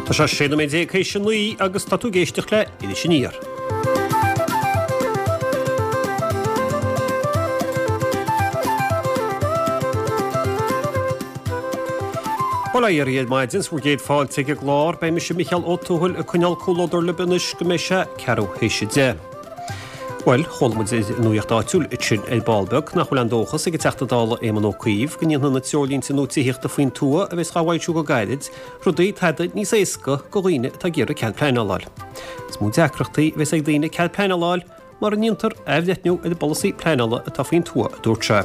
Tá sé 16 nóiméad théis 9 agus tá tú ag éisteacht le Iris Aniar. Bhuel, a iarraidh ar maidin, 's bhur gcéad fáilte ag an gclár, beidh mise Micheál Ó Tuathail ag coinneáil comhluadar libh anois go mbeidh sé ceathrú théis 10. Bhuel, chuala muid ar an nuaíocht áitiúil ansin ar ball beag nach bhfuil aon dóchas ag an Teachta Dála Éamon Ó Cuív go ndéanfaidh na treoirlínte nua tithíochta faoin tuath a bheas dhá bhfoilsiú go gairid rudaí tada níos éasca go dhaoine atá ag iarraidh cead pleanála a fháil. Is mó deacrachtaí a bheas ag daoine cead pleanála a fháil mura ndéantar athbhreithniú ar an bpolasaí pleanála atá faoin tuath, a dúirt sé.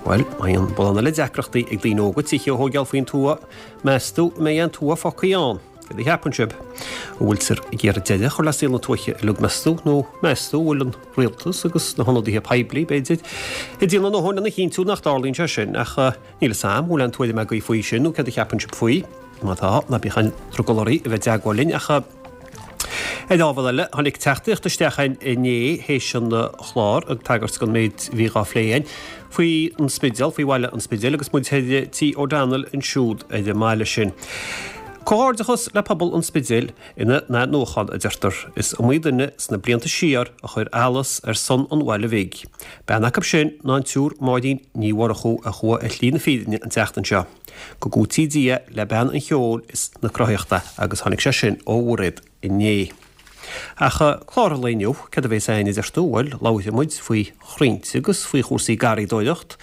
Bhuel, má bhíonn mórán eile deacrachtaí ag daoine óga tithe a thóigeáil faoin tuath, meas tú an mbeidh aon tuath fágtha ann? Céard a cheapann sibh? An bhfuiltear ag iarraidh deireadh a chur le saol na tuaithe uilig, meas tú? Nó meas tú an bhfuil an rialtas agus na hionadaithe poiblí, b'fhéidir, ag déanamh a ndóthain lena chinntiú nach dtarlaíonn sé sin? Ach níl 'fhios a'm, an bhfuil aon tuairim agaibh faoi sin nó céard a cheapann sibh faoi? Má tá, ná bíodh aon drogall oraibh a bheith i dteagmháil linn. Ach ar ábhar eile, tháinig teachtaireacht isteach againn inné théis an chlár ag tagairt don méid a bhí dhá phlé againn faoi an Spidéal, faoi bhaile an Spidéil agus muid thoir Tí O'Donnell ansiúd ar an mbaile sin. Comhghairdeachas le pobal an Spidéil ina n-athnuachan, a deirtear. Is iomaí duine sna blianta siar a chuir allas ar son an bhaile bhig. Bean acu sin ná an tSiúr Máirín Ní Mhurchú a chuaigh ar shlí na fírinne an tseachtain seo. Go gcúití Dia le bean an cheoil is na cruthaitheachta agus tháinig sé sin ó Mhairéad inné. Ach clár an lae inniu, céard a bhéas againn a deir tú? Bhuel, labharfaidh muid faoi chrainnte agus faoi chúrsaí garraíodóireacht.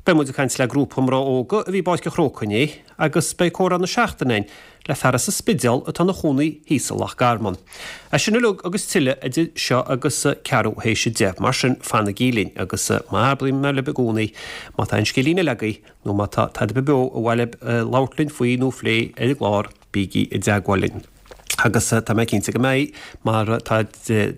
Beidh muid ag caint le grúpa mná óga a bhí i bPáirc an Chrócaigh inné agus beidh comhrá na seachtaine againn le fear as an Spidéal atá ina chónaí thíos i Loch Garman. É sin uilig agus tuilleadh idir seo agus ceathrú théis 10, mar sin fanaigí linn agus mar a abraím mé libh i gcónaí, má tá aon scéilín eile agaibh nó má tá tada ar bith beo ar mhaith libh labhairt linn faoi nó a phlé ar an gclár, bígí i dteagmháil linn. Agus tá mé cinnte go mbeidh, mar tá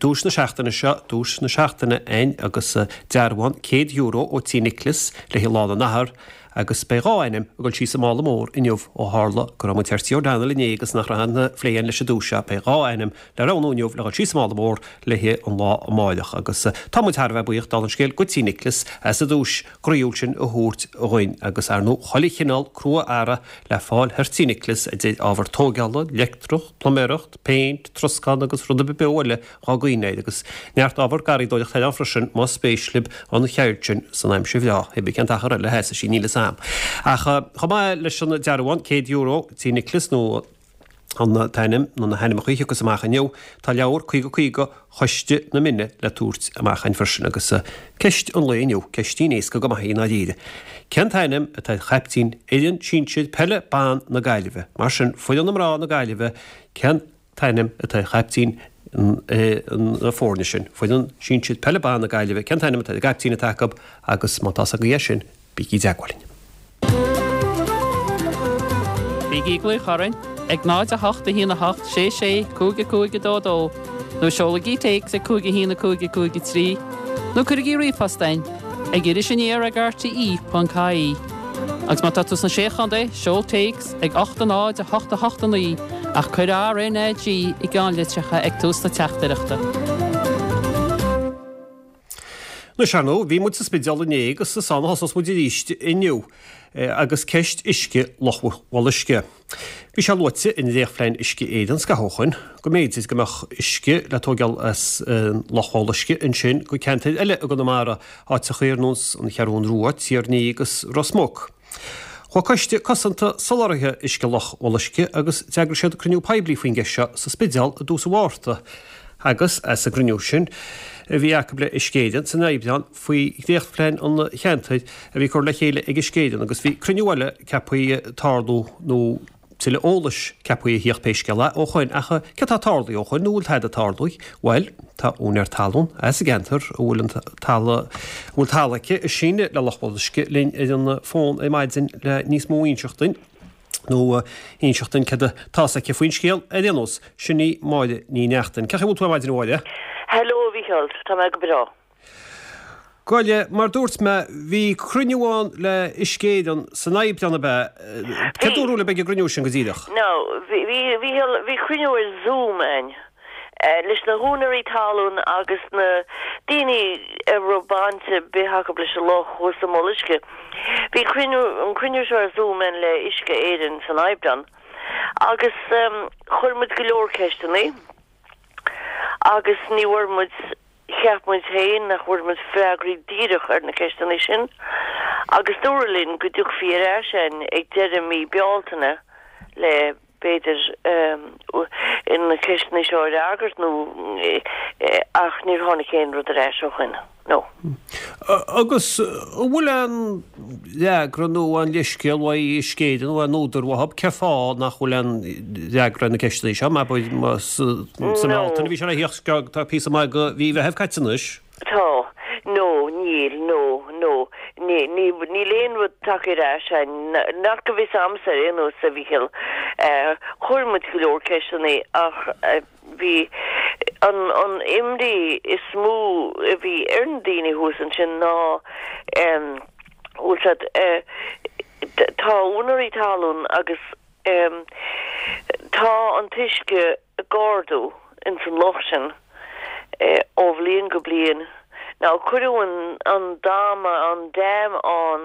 duais na seachtaine seo, duais na seachtaine againn agus dearbhán €100 ó Tí Nicholas le haghaidh Lá na nAthar agus beidh 2 ainm ag dul síos sa mála mór inniu ó tharla go raibh muid thoir Tí O'Donnell inné agus nach raibh aon phlé againn leis an duais seo. Beidh 2 ainm le roghnú inniu le dhul síos sa mála mór le haghaidh an lá amáireach agus tá muid thar a bheith buíoch dála an scéil go Tí Nicholas as an duais groíúil sin a thabhairt dhuinn agus ar ndóigh chuile chineál crua-earra le fáil thoir Tí Nicholas idir ábhar tóigeála, leictreach, pluiméireacht, péint, troscán agus rud ar bith beo eile dhá gcuimhneamh air agus neart ábhar garraíodóireachta thoir ann freisin más spéis libh an cheird sin san aimsir bhreá, hé bí cén t-achar eile a sheasfaidh sí níl 'fhios a'm. Ach chomh maith leis an dearbhán €100 Tí Nicholas nó an t-ainm nó na hainmneacha a thiocfas amach inniu, tá leabhar 50 50 Choiste na Mine le tabhairt amach againn freisin agus ceist an lae inniu, ceistín éasca go maith í i ndáiríre. Cén t-ainm atá ar chaiptín fhoireann sinsir peile ban na Gaillimhe? Mar sin, foireann na mná na Gaillimhe, cén t-ainm atá ar chaiptín na foirne sin? Foireann sinsir peile ban na Gaillimhe, cén t-ainm atá ar an gcaiptín atá acu agus má tá's agaibh é sin, Bígí i dteagmháil linn. Bígí ag glaoch orainn ag 0 8 1 8 6 6 5 5 2 2 nó seolaigí téacs ag 5 1 5 5 3 nó cuirigí ríomhphost chugainn ag irisaniar ag rte.ie. Agus má tá tú sna Sé Chontae, seol téacs ag 8 0 8 8 9 ach cuir RNAG i gceannlitreacha ag tús na teachtaireachta. Anois, ar ndóigh, bhí muid sa Spidéal inné agus is ann a thosós muid arís inniu agus ceist uisce Loch Bholuisce. Bhí sé luaite i ndréachtphlean Uisce Éireann scaitheamh ó shoin go mb'fhéidir go mbeadh uisce le tóigeáil as Loch Bholuisce ansin go ceantair eile i gConamara, áiteachaí ar nós an Cheathrún Rua, Tír an Fhia agus Ros Muc. Chuaigh Coiste Cosanta Soláthraithe Uisce Loch Bholuisce agus d'eagraigh siad cruinniú poiblí faoin gceist seo sa Spidéal i dtús an Mhárta agus as an gcruinniú sin a bhí acu le Uisce Éireann san Aibreán faoi dhréachtphlean an cheantair a bhí curtha le chéile ag Uisce Éireann agus bhí cruinniú eile ceaptha tarlú nó tuilleadh eolais ceaptha a thíocht pé scéal é ó shoin. Ach céard tá tarlaithe ó shoin nó bhfuil tada tarlaithe? Bhuel, tá úinéir talún as an gceantar a bhfuil an talamh, a bhfuil talamh aici ag síneadh le Loch Bholuisce linn ar an bhfón ar maidin le níos mó a inseacht duinn, nó inseacht duinn céard atá 's aici faoin scéal. Ar aon nós, sin í Máire Ní Neachtain. Cén chaoi a bhfuil tú ar maidin a Mháire? Hello a Mhícheáil, tá mé go breá. Gabh i leith, mar dúirt mé, bhí cruinniú ann le Uisce Éireann san Aibreán, ab ea? Céard Bhí. dúradh libh ag an gcruinniú sin go díreach? Now, bhí, bhí, bhí, bhí cruinniú ar Zoom ann leis na húinéirí talún agus na daoine a raibh baint ar bith acu leis an loch thuas i mBoluisce. Bhí cruinniú, an cruinniú seo ar Zoom ann le Uisce Éireann san Aibreán. Agus chuir muid go leor ceisteanna agus ní bhfuair muid, cheap muid féin nach bhfuair muid freagraí díreach ar na ceisteanna sin agus dúradh linn go dtiocfaí ar ais a'inn ag deireadh mí Bealtaine le b'fhéidir, na ceisteanna seo a fhreagairt nó ach níor tháinig aon rud ar ais ó shoin, no. Agus an bhfuil aon fhreagra nó aon leithscéal uaidh Uisce Éireann nó aon údar uathub cén fáth nach bhfuil aon fhreagra ar na ceisteanna seo, mar sa mBealtaine a bhí sé le theacht, tá píosa maith de mhí Mheithimh caite anois. Tá. No, níl, no, no. Ní, ní, níl aon rud tagtha ar ais a'inn, nach go bhfios a'msa ar aon nós, a Mhíchíl. Chuir muid go leor ceisteanna ach bhí an, an imní is mó a bhí ar na daoine thuas ansin ná, bhfuil siad, tá úinéirí talún agus tá an t-uisce, ag ardú ins an loch sin ó bhliain go bliain. Now cuireadh an an dama, an dam ann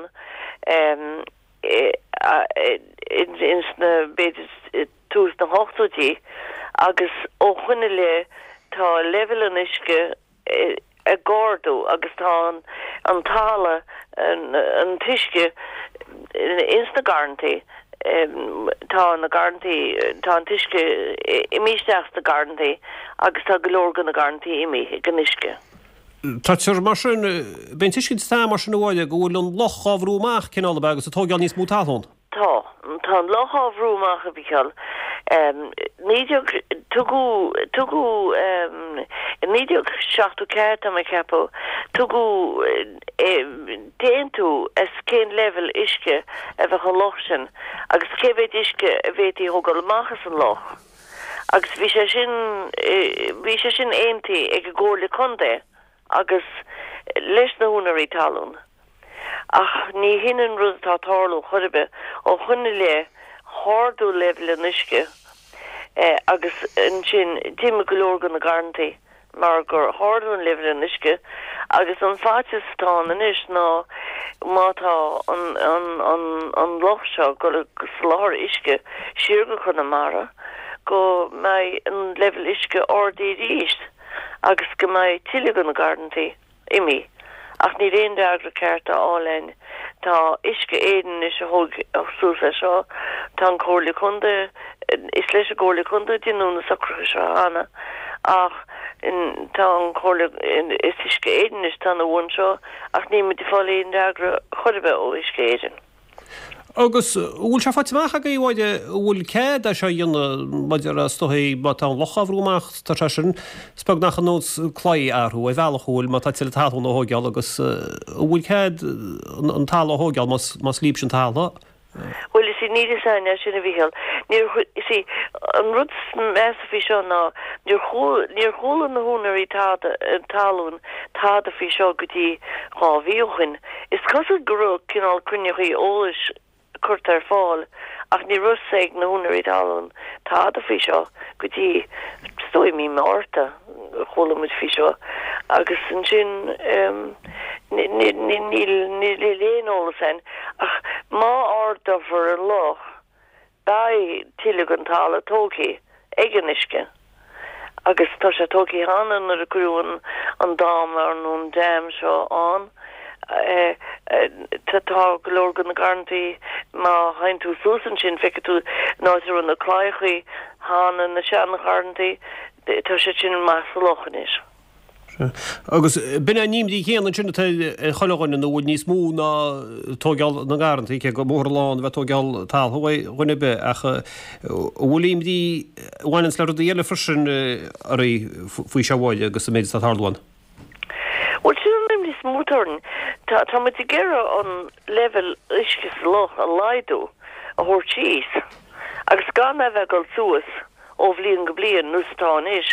ins na, b'fhéidir tús na hochtóidí agus ó shoin i leith tá leibhéal an uisce ag ardú agus tá an talamh, an t-uisce ins na garrantaí, tá na garrantaí, tá an t-uisce imithe isteach sna garrantaí agus tá go leor de na garrantaí imithe ag an uisce. Táthar mar sin, b'é an tuiscint atá mar sin a Mháire go bhfuil an loch á bhrú amach cineál ab ea agus ag tóigeáil níos mó talún? Tá. Tá an loch á bhrú amach, a Mhícheáil. 19, tugadh, tugadh, i 1974, tá mé ag ceapadh, tugadh aontú as cén leibhéal uisce a bheadh an loch sin agus cé mhéad uisce a bhféadfaí a thógáil amach as an loch. Agus bhí sé sin, bhí sé sin aontaithe ag an gComhairle Contae agus leis na húinéirí talún. Ach ní hin an rud atá ag tarlú chor ar bith. Ó shoin i leith, ardaíodh leibhéal an uisce agus ansin d'imigh go leor de na garrantaí mar gur ardaíodh an leibhéal an uisce agus an faitíos atá ann anois ná má tá an loch seo ag dul ag soláthar uisce siar go Conamara go mbeidh an leibhéal uisce ardaithe arís agus go mbeidh tuilleadh de na garrantaí. imithe, ach níl aon fhreagra ceart á fháil a'inn. Tá Uisce Éireann anois a thóg suas é seo, tá an Comhairle Contae, is leis an gComhairle Contae a deineadh na socruithe seo cheana, ach tá an Chomhairle, is Uisce Éireann anois atá ina bhun seo, ach níl muid ag fáil aon fhreagra chor ar bith ó Uisce Éireann. Agus an bhfuil sé faighte amach agaibh, a Mháire, an bhfuil cead é seo a dhéanamh maidir le, is dóigh, má tá an loch á bhrú amach, tá sé sin, is beag nach ar nós claí a athrú ar bhealach, an bhfuil, má tá tuilleadh talún á thóigeáil agus an bhfuil cead an talamh a thóigeáil más, más líobse an talamh? Bhuel, you see, níl fhios a'inn é sin, a Mhícheáil. Níor, you see, an rud is measa faoi seo ná níor chuala, níor chuala na húinéirí tada, talún tada faoi seo go dtí 2 mhí ó shoin. Is cosúil go raibh cineál cruinniuchaí eolais curtha ar fáil ach ní raibh fhios ag na húinéirí talún tada faoi seo go dtí, is dóigh, mí Márta a chuala muid faoi seo agus ansin níl aon eolas a'inn ach má ardófar an loch Beidh tuilleadh den talamh tógtha ag an uisce agus tá sé tógtha cheana nuair a cuireadh an dama nó an dam seo ann. Tá go leor de na garrantaí, má théann tú suas ansin feicfidh tú an áit a raibh na claíochaí cheana, na seangharrantaí, tá siad sin amach sa loch anois. Sea. Agus b'in é an imní chéanna ansin atá ar chuile dhuine nó bhfuil níos mó ná tóigeáil na ngarrantaí, cé gur mór an lán a bheith tóigeáil talún uaidh dhuine ar bith, ach an bhfuil imní a bhaineanns le rudaí eile freisin oraibh faoi seo a Mháire agus an méid atá ag tarlú ann? Bhuel, sin an imní is mó atá orainn. Tá, tá muid ag iarraidh an leibhéal uisce sa loch a laghdú, a thabhairt síos, agus gan é a bheith ag dul suas. ó bhliain go bliain, nós atá anois.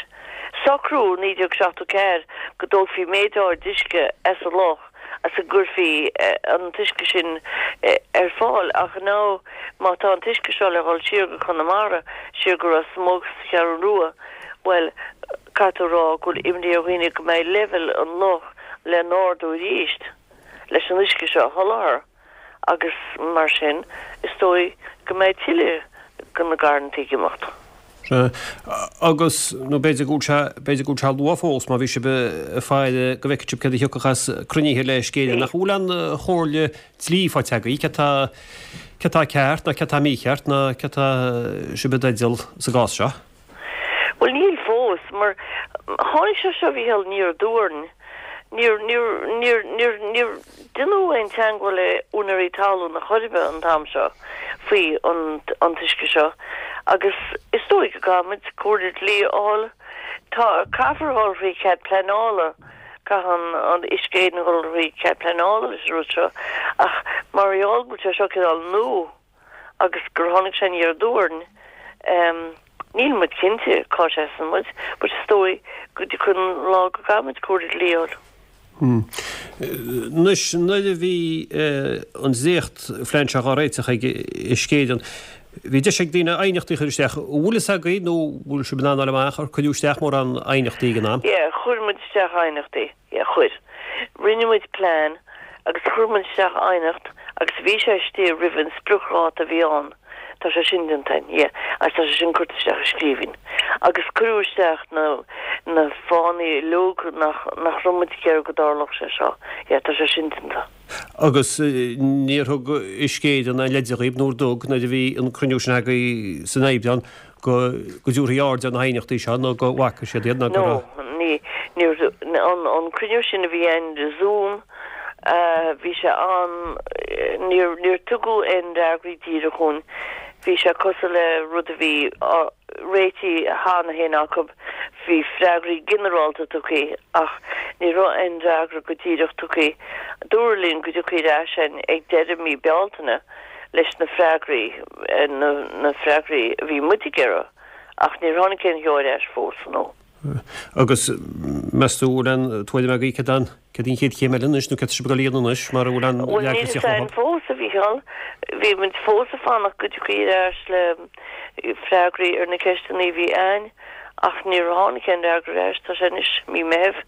Socraíodh i 1974 go dtógfaí méid áirid uisce as an loch agus go gcuirfí an t-uisce sin ar fáil ach now má tá an t-uisce seo le dhul siar go Conamara, siar go Ros Muc sa Cheathrú Rua, bhuel, caithfidh tú a rá go bhfuil imní ar dhaoine go mbeidh leibhéal an loch le n-ardú arís leis an uisce seo a sholáthar. agus mar sin is dóigh go mbeidh tuilleadh. go na garrantaí ag imeacht. Sea. Agus, nó b'fhéidir go bhfuil sé, b'fhéidir go bhfuil sé luath fós má bhí sibh ag faire go bhfeicfidh sibh céard a thiocfadh as cruinnithe le Uisce Éireann. Nach bhfuil aon chomhairle dlí faighte agaibh, céard tá, céard tá ceart nó céard tá mícheart nó céard tá sibh i dteideal sa gcás seo? Bhuel níl fós, mar tháinig sé seo, a Mhícheáil, aniar aduaidh orainn. Níor, níor, níor, níor, níor deineadh aon teangmháil le úinéirí talún ar chor ar bith an t-am seo faoi an, an t-uisce seo agus is dóigh go gcaithfimid comhairle dlí a fháil. Tá, caithfear a dhul thrí chead pleanála, caithfidh an, an Uisce Éireann a dhul thrí chead pleanála leis an rud seo ach mar gheall go bhfuil sé seo cineál nua, agus gur tháinig sé aniar aduaidh orainn. Níl muid cinnte cá seasann muid, but is dóigh go dtiocfaidh an lá go gcaithfidh muid comhairle dlí a fháil. Anois, nuair a bhí an dréacht-phlean seo á réiteach ag Uisce Éireann, bhí deis ag daoine aighneachtaí a chur isteach. An bhfuil fhios agaibh nó bhfuil sibh in ann a fháil amach ar cuireadh isteach mórán aighneachtaí ag an am? Yeah, chuir muid isteach aighneachtaí. Yeah, chuir. Rinne muid plean agus chuir muid isteach aighneacht agus bhí sé istigh roimh an spriocdháta a bhí ann. Tá sé sin déanta againn, yeah, agus tá sé sin curtha isteach i scríbhinn. Agus cuireadh isteach na, na fáthanna uilig nach, nach raibh muid ag iarraidh go dtarlódh sé seo. Yeah, tá sé sin déanta. Agus níor thug Uisce Éireann aon leide dhaoibh, nó ar thug, nuair a bhí an cruinniú sin agaibh san Aibreán, go dtabharfaí aird ar na haighneachtaí seo nó go bhfaca siad iad nó go raibh. No, ní, ní, an, an cruinniú sin a bhí ann ar Zoom, bhí sé an, níor, níor tugadh aon fhreagraí díreach dhúinn. Bhí sé cosúil le rud a bhí á réitigh cheana féin acu, bhí freagraí ginearálta tugtha ach ní raibh aon fhreagra go díreach tugtha. Dúradh linn go dtiocfaí ar ais againn ag deireadh mí Bealtaine. leis na freagraí, na freagraí a bhí muid ag iarraidh, ach níor tháinig aon cheo ar ais fós, no. Agus meas tú, bhfuil aon tuairim agaibh céard an, céard í an chéad chéim eile anois, nó céard tá sibh ag dul a dhéanamh anois, mar a bhfuil aon Bhuel, níl fhios againn fós, a Mhícheáil. Bhí muid fós ag fanacht go dtiocfaí ar ais le freagraí ar na ceisteanna a bhí againn, ach níor tháinig aon fhreagra ar ais, tá sé anois mí Meithimh,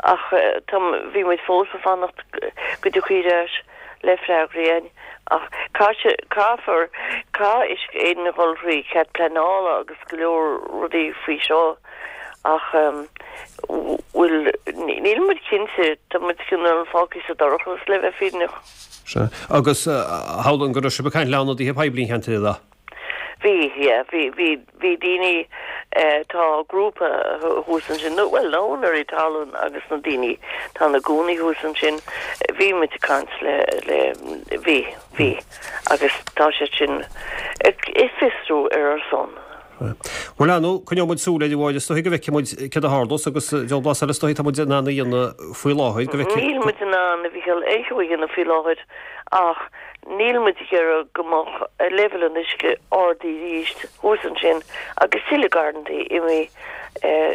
ach tá, bhí muid fós ag fanacht go dtiocfaí ar ais. le freagraí againn ach caithfear, caithfidh Uisce Éireann a dhul thrí cead pleanála agus go leor rudaí faoi seo ach bhuel níl muid cinnte, tá muid cineál fágtha sa dorchadas le bheith fírinneach. Sea. Agus shamhlóinn go raibh sibh ag caint le ionadaithe poiblí an cheantair, an raibh? Bhí, yeah, bhí, bhí, bhí daoine, tá grúpa thuas ansin, nó, bhuel, na húinéirí talún agus na daoine atá ina gcónaí thuas ansin, bhí muid ag caint le, le, bhí, bhí, agus tá siad sin ag fiosrú ar ár son. Bhuel, ar ndóigh, coinneoidh muid súil air, a Mháire, is dóigh go bhfeicfidh muid céard a tharlós agus diabhal blas eile is dóigh atá muid in ann a dhéanamh faoi láthair, go bhfeicfidh. Níl muid in ann, a Mhícheáil, aon cheo a dhéanamh faoi láthair ach Níl muid ag iarraidh go mbeadh leibhéal an uisce ardaithe arís thuas ansin agus tuilleadh garrantaí imithe.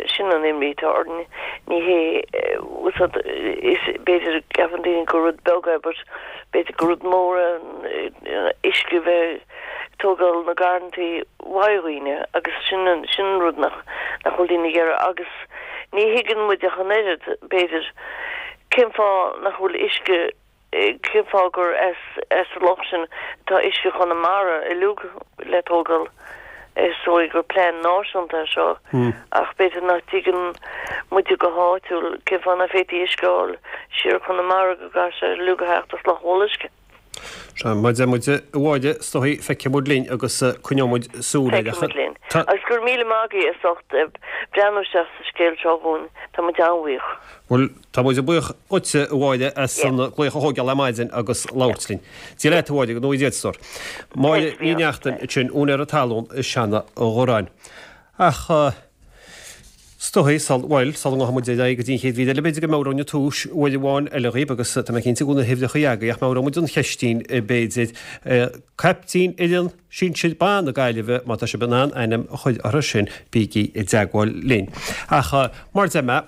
Sin an imní atá orainn. Ní hé, is b'fhéidir ceapann daoine gur rud beag é but b'fhéidir gur rud mór é an uisce a bheith ag tógáil na garrantaí uaidh dhaoine agus sin an sin an rud nach nach bhfuil daoine ag iarraidh agus ní thuigeann muid ach an oiread b'fhéidir cén fáth nach bhfuil uisce Cén fáth gur as an loch sin atá uisce Chonamara uilig le tógáil? Is dóigh gur plean náisiúnta é seo ach b'fhéidir nach dtuigeann muide go háitiúil cén fáth nach bhféadfaí uisce a fháil siar Conamara go gcaithfidh sé uilig a theacht as Loch Mhullaisce. Sea, mar a deir muid, a Mháire, is dóigh, feicfidh muid linn agus coinneoidh muid súil air. Feicfidh muid linn. Agus go raibh míle maith agaibh as ucht breathnú isteach sa scéal seo dhúinn. Tá muid an-bhuíoch. Bhuel, tá muid buíoch dhuitse, a Mháire, as an glaoch a thógáil ar maidin agus labhairt linn. Dia leat, a Mháire, go ngnóthaí Dia duit, a stór. Máire Ní Neachtain ansin, úinéir talún i Seanadh Ghoráin. Ach is dóigh, sul, bhuel, sula ngabhfaidh muid ar aghaidh go dtí an chéad mhír eile, b'fhéidir go meabhróinn an tomhas uair amháin eile dhaoibh, agus tá mé cinnte go bhfuil na huimhreacha agaibh, ach meabhróidh muid an cheistín, b'fhéidir. Caiptín fhoireann sinsir ban na Gaillimhe, má tá sibh in ann ainm a chur orthu sin, bígí i dteagmháil linn. Ach mar a deir mé,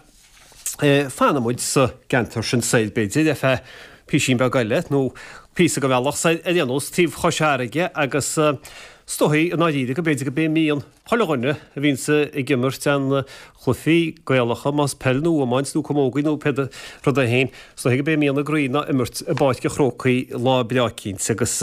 fanfaidh muid sa gceantar sin soir, b'fhéidir, ar feadh písín beag eile, nó píosa den bhealach soir ar aon nós, taobh Chois Fharraige agus is dóigh i ndáiríre go b'fhéidir go b'é mian chuile dhuine a bhíonns ag imirt aon chluichí Gaelacha, más peil nó iomáint nó camógaí nó pé rud é féin, is dóigh go b'é mian a gcroí ná imirt i bPáirc an Chrócaigh lá breá eicínt agus.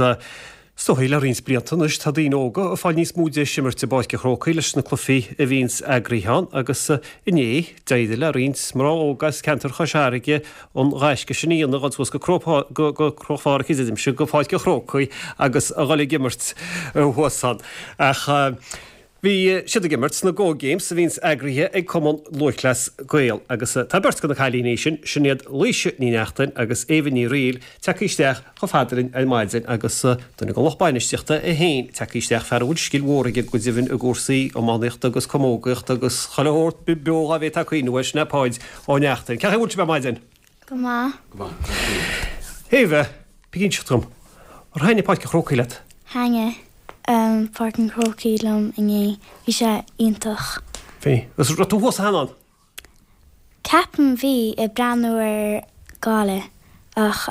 Is dóigh le roinnt blianta anois tá daoine óga ag fáil níos mó deis imirt i bPáirc an Chrócaigh leis na cluichí a bhíonns eagraithe ann agus inné d'éirigh le roinnt mná óga as ceantar Chois Fharraige an gaisce sin a dhéanamh, a dhul suas go Cróc Pháirc, deirimse, go Páirc an Chrócaigh agus a dhul ag imirt thuas ann. Ach Bhí siad ag imirt sna Go Games a bhíonns eagraithe ag Cumann Lúthchleas Gael agus tá beirt de na cailíní sin, sin iad Laoise Ní Neachtain agus Éabha Ní Fhrighil, tagtha isteach chomh fada linn ar maidin agus duine den lucht bainistíochta é féin tagtha isteach, fear a bhfuil scil mhór aige go deimhin i gcúrsaí iománaíochta agus camógaíochta agus chuile shórt beo dhá bhféadfá cuimhneamh air, sin é Páid Ó Neachtain. Cén chaoi a bhfuil sibh ar maidin? Go maith. Go maith. Éabha, bí ag inseacht dom, ar thaitnigh Páirc an Chrócaigh leat? Thaitnigh Páirc an Chrócaigh liom inné. Bhí sé iontach. Bhí. Agus raibh tú thuas cheana ann? Ceapaim bhí, ag breathnú ar Gaillimh ach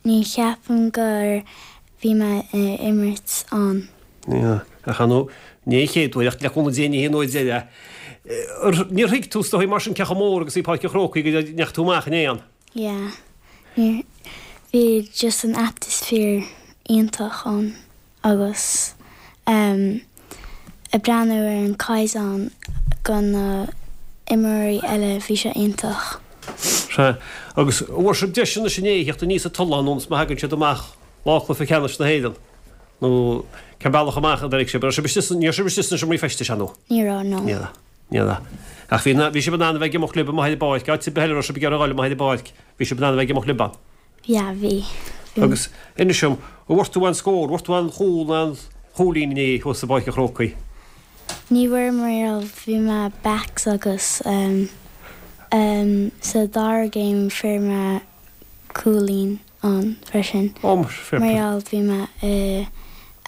ní cheapaim gur bhí mé ag imirt ann. Yeah, ach ar ndóigh, ní an chéad uair ach le cúnamh Dé ní hé an uair deireadh. Níor thuig tú, is dóigh, mar sin cé chomh mór agus a bhí Páirc an Chrócaigh go ndeachaigh tú amach inné ann. Yeah, níor, bhí just an atmosphere iontach ann agus em ag breathnú ar an caighdeán go na imreoirí eile bhí sé iontach. Sea, agus bhfuair sibh deis anois inné a theacht aníos an tulán ionas má thagann siad amach lá cluiche ceannais na hÉireann. Nó cén bealach amach a d'éirigh sibh? Raibh sibh istigh san, ní raibh sibh istigh sna seomraí feistis, an nó? Ní raibh, no. Ní raibh, ní raibh. Ach bhí, bhí sibh in ann a bheith ag imeacht libh amuigh ar an bpáirc, áit ar bith eile a raibh sibh ag iarraidh a dhul amuigh ar an bpáirc, bhí sibh in ann a bheith ag imeacht libh ann. Yeah, bhí. Bhí. Agus inis dom, an bhfuair tú aon scór, an bhfuair tú aon chúl nó aon chúilín inné thuas i bPáirc an Chrócaigh? Ní bhfuair mar gheall bhí mé backs agus ehm ehm sa dara game fuair mé cúilín. ann freisin. Ó, fair Mar gheall bhí mé i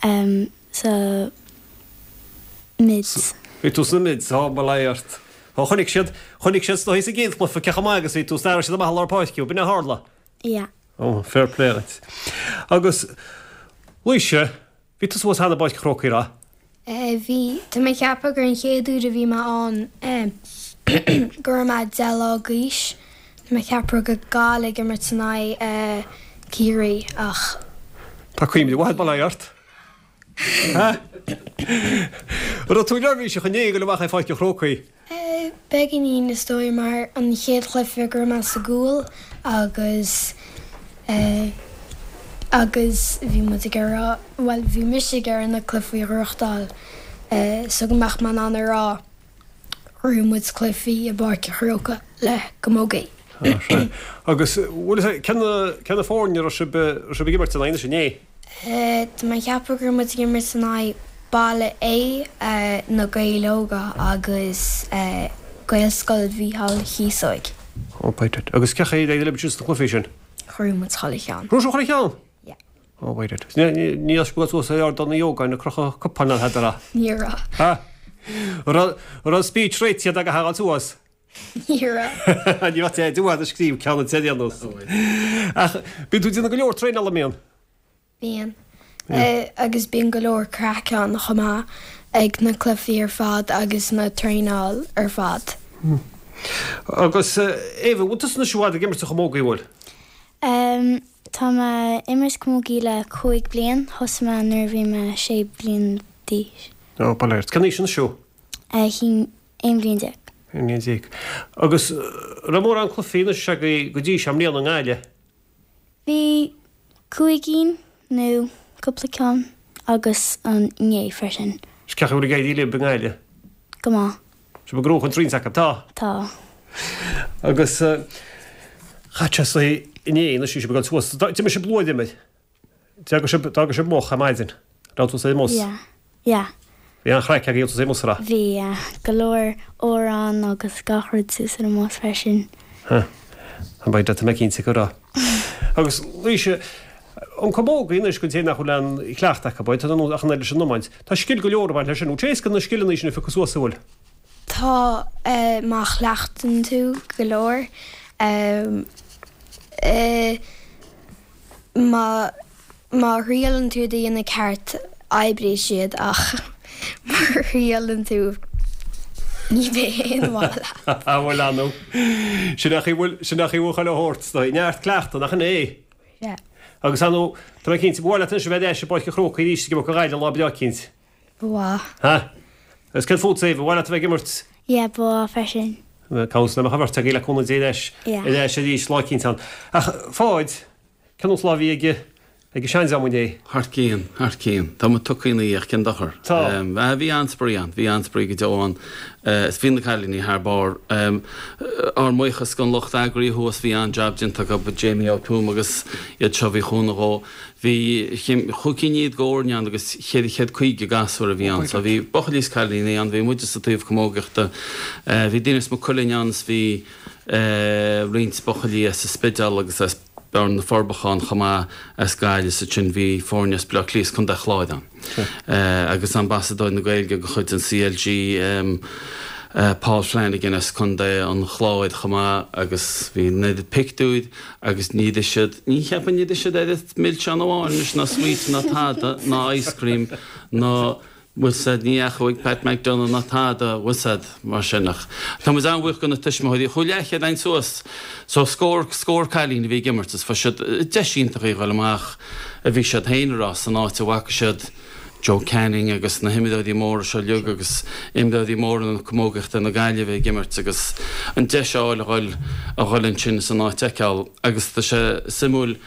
em sa mids. Bhí tú sna mids, ó mo léir ort. Ó chonaic siad, chonaic siad is dóigh sa gcéad chluiche cé chomh maith agus bhí tú, 's d'athraigh siad amach i lár páirce thú, b'in a tharla? Yeah. Ó, fair play duit. Agus, Laoise, Bhí tusa thuas cheana i bPáirc an Chrócaigh, raibh? Bhí. Tá mé ag ceapadh gur an chéad uair a bhí mé ann go raibh mé 10 lá d'aois. Tá mé ag ceapadh go Gaillimh ag imirt in aghaidh Ciarraí ach. Tá cuimhne mhaith bail ó Dhia ort. An raibh tú neirbhíseach inné ag dul amach ar Pháirc an Chrócaigh? Beagáinín is dóigh mar an chéad chluiche go raibh mé sa gcúl agus agus bhí muid ag iarraidh, bhuel bhí mise ag iarraidh na cluichí a ghnóthachtáil so go mbeadh mé in ann a rá ghnóthaigh muid cluichí i bPáirc an Chrócaigh le camogie. Agus bhfuil a fhios agat cé na foirne a raibh sibh raibh sibh ag imirt ina aghaidh inné? Tá mé ag ceapadh go raibh muid ag imirt in aghaidh Baile Aodha, Na Gaeil Óga agus Gaelscoil Mhícheáil Chíosóig. Oh by dad. Agus cén chaoi ar éirigh libh sna cluichí sin? Ghnóthaigh muid chuile cheann. Ghnóthaigh sibh chuile cheann? Yeah. Oh by dad. Ní raibh sibh ag dul suas ar Ardán Uí Ógáin ag crochadh cupáin ná tada raibh? Ní raibh. Ha? Raibh raibh speech réitithe agat a ghabháil suas? Ní raibh. Ní raibh Ted i bhfad ag scríobh ceann an ar aon nós. Ach bíonn tú ag déanamh go leor traenála, an mbíonn? Bíonn. Agus bíonn go leor craic ann chomh maith ag na cluichí ar fad agus na traenáil ar fad. Agus Éabha, bhfuil tusa anois i bhfad ag imirt an chamógaí, bhfuil? Tá mé ag imirt camógaí le 5 bliain, thosaigh mé nuair a bhí mé 6 bliain d'aois. Ó, bail ort. Cén aois anois thú? 11 bliain. 11 bliain. Agus raibh mórán cluichí anois agaibh go dtí seo i mbliana i nGaillimh? Bhí 5 cinn nó cúpla ceann agus an inné freisin. Is cén chaoi a bhfuil ag éirí libh i nGaillimh? Go maith. Sibh ag gnóthachan roinnt acu, tá? Tá. Agus chaith sé inné anois bhí sibh ag dul suas. D'imir sibh luath, d'imir? D'fhága sibh, d'fhága sibh moch ar maidin. Raibh tú sa mbus? Yeah. Yeah. Bhí an-chraic agaibh sa mbus, raibh? Bhí, yeah. Go leor amhrán agus gach rud suas ar an mbus freisin. Huh. An beidh tá mé cinnte go raibh. Agus Laoise, an camógaí anois don té nach bhfuil aon chleachtadh acu, tá ach an oiread leis an iomáint. Tá scil go leor ag baint leis sin. Bhfuil sé éasca na scileanna sin a phiocadh suas, an bhfuil? Tá, má chleachtann tú go leor. Eh, Má má thriaileann tú iad a dhéanamh ceart, oibreoidh siad ach má thriaileann tú ní bheidh aon mhaith leat. Bhuel, ar ndóigh. Sin é an chaoi a bhfuil, sin é an chaoi a bhfuil chuile shórt, is dóigh. Neart cleachtadh, nach in é? Yeah. Agus ar ndóigh, tá mé cinnte, ba mhaith leat anois a bheith ar ais i bPáirc an Chrócaigh arís ag imirt do Ghaillimh lá breá eicínt. Ba mhaith. Ha? Agus céard fútsa, Éabha, ba mhaith leat a bheith ag imirt? Yeah, ba mhaith freisin. Conas le mbeadh an bheirt agaibh le cúnamh Dé ar ais, Yeah. ar ais arís lá eicínt ann. Ach, Pháid, cén nós lá a bhí ag, ag an seandream inné? Thar cionn, thar cionn. Tá muid tugtha ina dhiaidh, cén dochar. Tá. Bhí an-spraoi ann, bhí an-spraoi go deo ann. Is bhí na cailíní thar barr. Ár mbuíochas don lucht eagraithe thuas, bhí an-jab déanta acu, Jamie Ó Tuama agus iad seo a bhí chúnamh dhó. Bhí chúig cinn fhichead d'fhoirne ann agus 450 gasúr a bhí ann. So bhí buachaillí is cailíní ann, bhí muide sa taobh camógaíochta, bhí daoine as Maigh Cuilinn ann is bhí roinnt buachaillí as an Spidéal agus as Bearna na Forbacha ann chomh maith as Gaillimh is ansin bhí foirne as Baile Átha Cliath is Contae Chláir ann. Agus Ambasadóir na Gaeilge de chuid an CLG Paul Flanagan as Contae an Chláir chomh maith agus bhí an oiread pictiúir agus níor ith siad, ní cheapaim níor ith siad oiread milseán amháin anois ná sweet ná tada ná ice cream ná bhfuil 's a'd, ní fhaca ag Pat McDonagh ná tada, bhfuil 's a'd, mar sin ach tá muid an-bhuíoch do na tuismitheoirí, chuaigh leathchéad againn suas so scór, scór cailín a bhí ag imirt is fuair siad deis iontach í a dhul amach a bhí siad féin a rá san áit a bhfaca siad Joe Canning agus na himreoirí móra seo uilig agus imreoirí móra na camógaíochta na Gaillimhe ag imirt agus an deis a fháil a dhul, a dhul ansin is an áit a fheiceáil agus tá sé suimiúil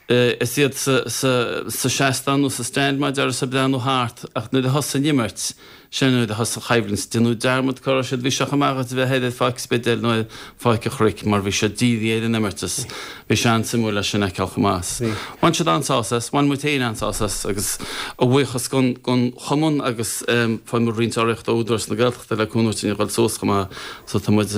Is iad sa seastán nó sa stand mar a déarfá is ag breathnú thart ach nuair a thosaigh an imirt, sin nuair a thosaigh an choimhlint. Déanadh dearmad cá raibh siad, bhí sé chomh maith dhuit a bheith thoir ar Pháirc an Spidéil nó ar Pháirc an Chnoic mar bhí siad dírithe ar an imirt is bhí sé an-suimiúil é sin a fheiceáil chomh maith. Bhain siad an-sásamh as, bhain muid féin an-sásamh as agus a bhuíochas don chumann agus fuair muid roinnt urraíochta ó Údarás na Gaeltachta le cúnamh dúinn a dhul suas chomh maith so tá muid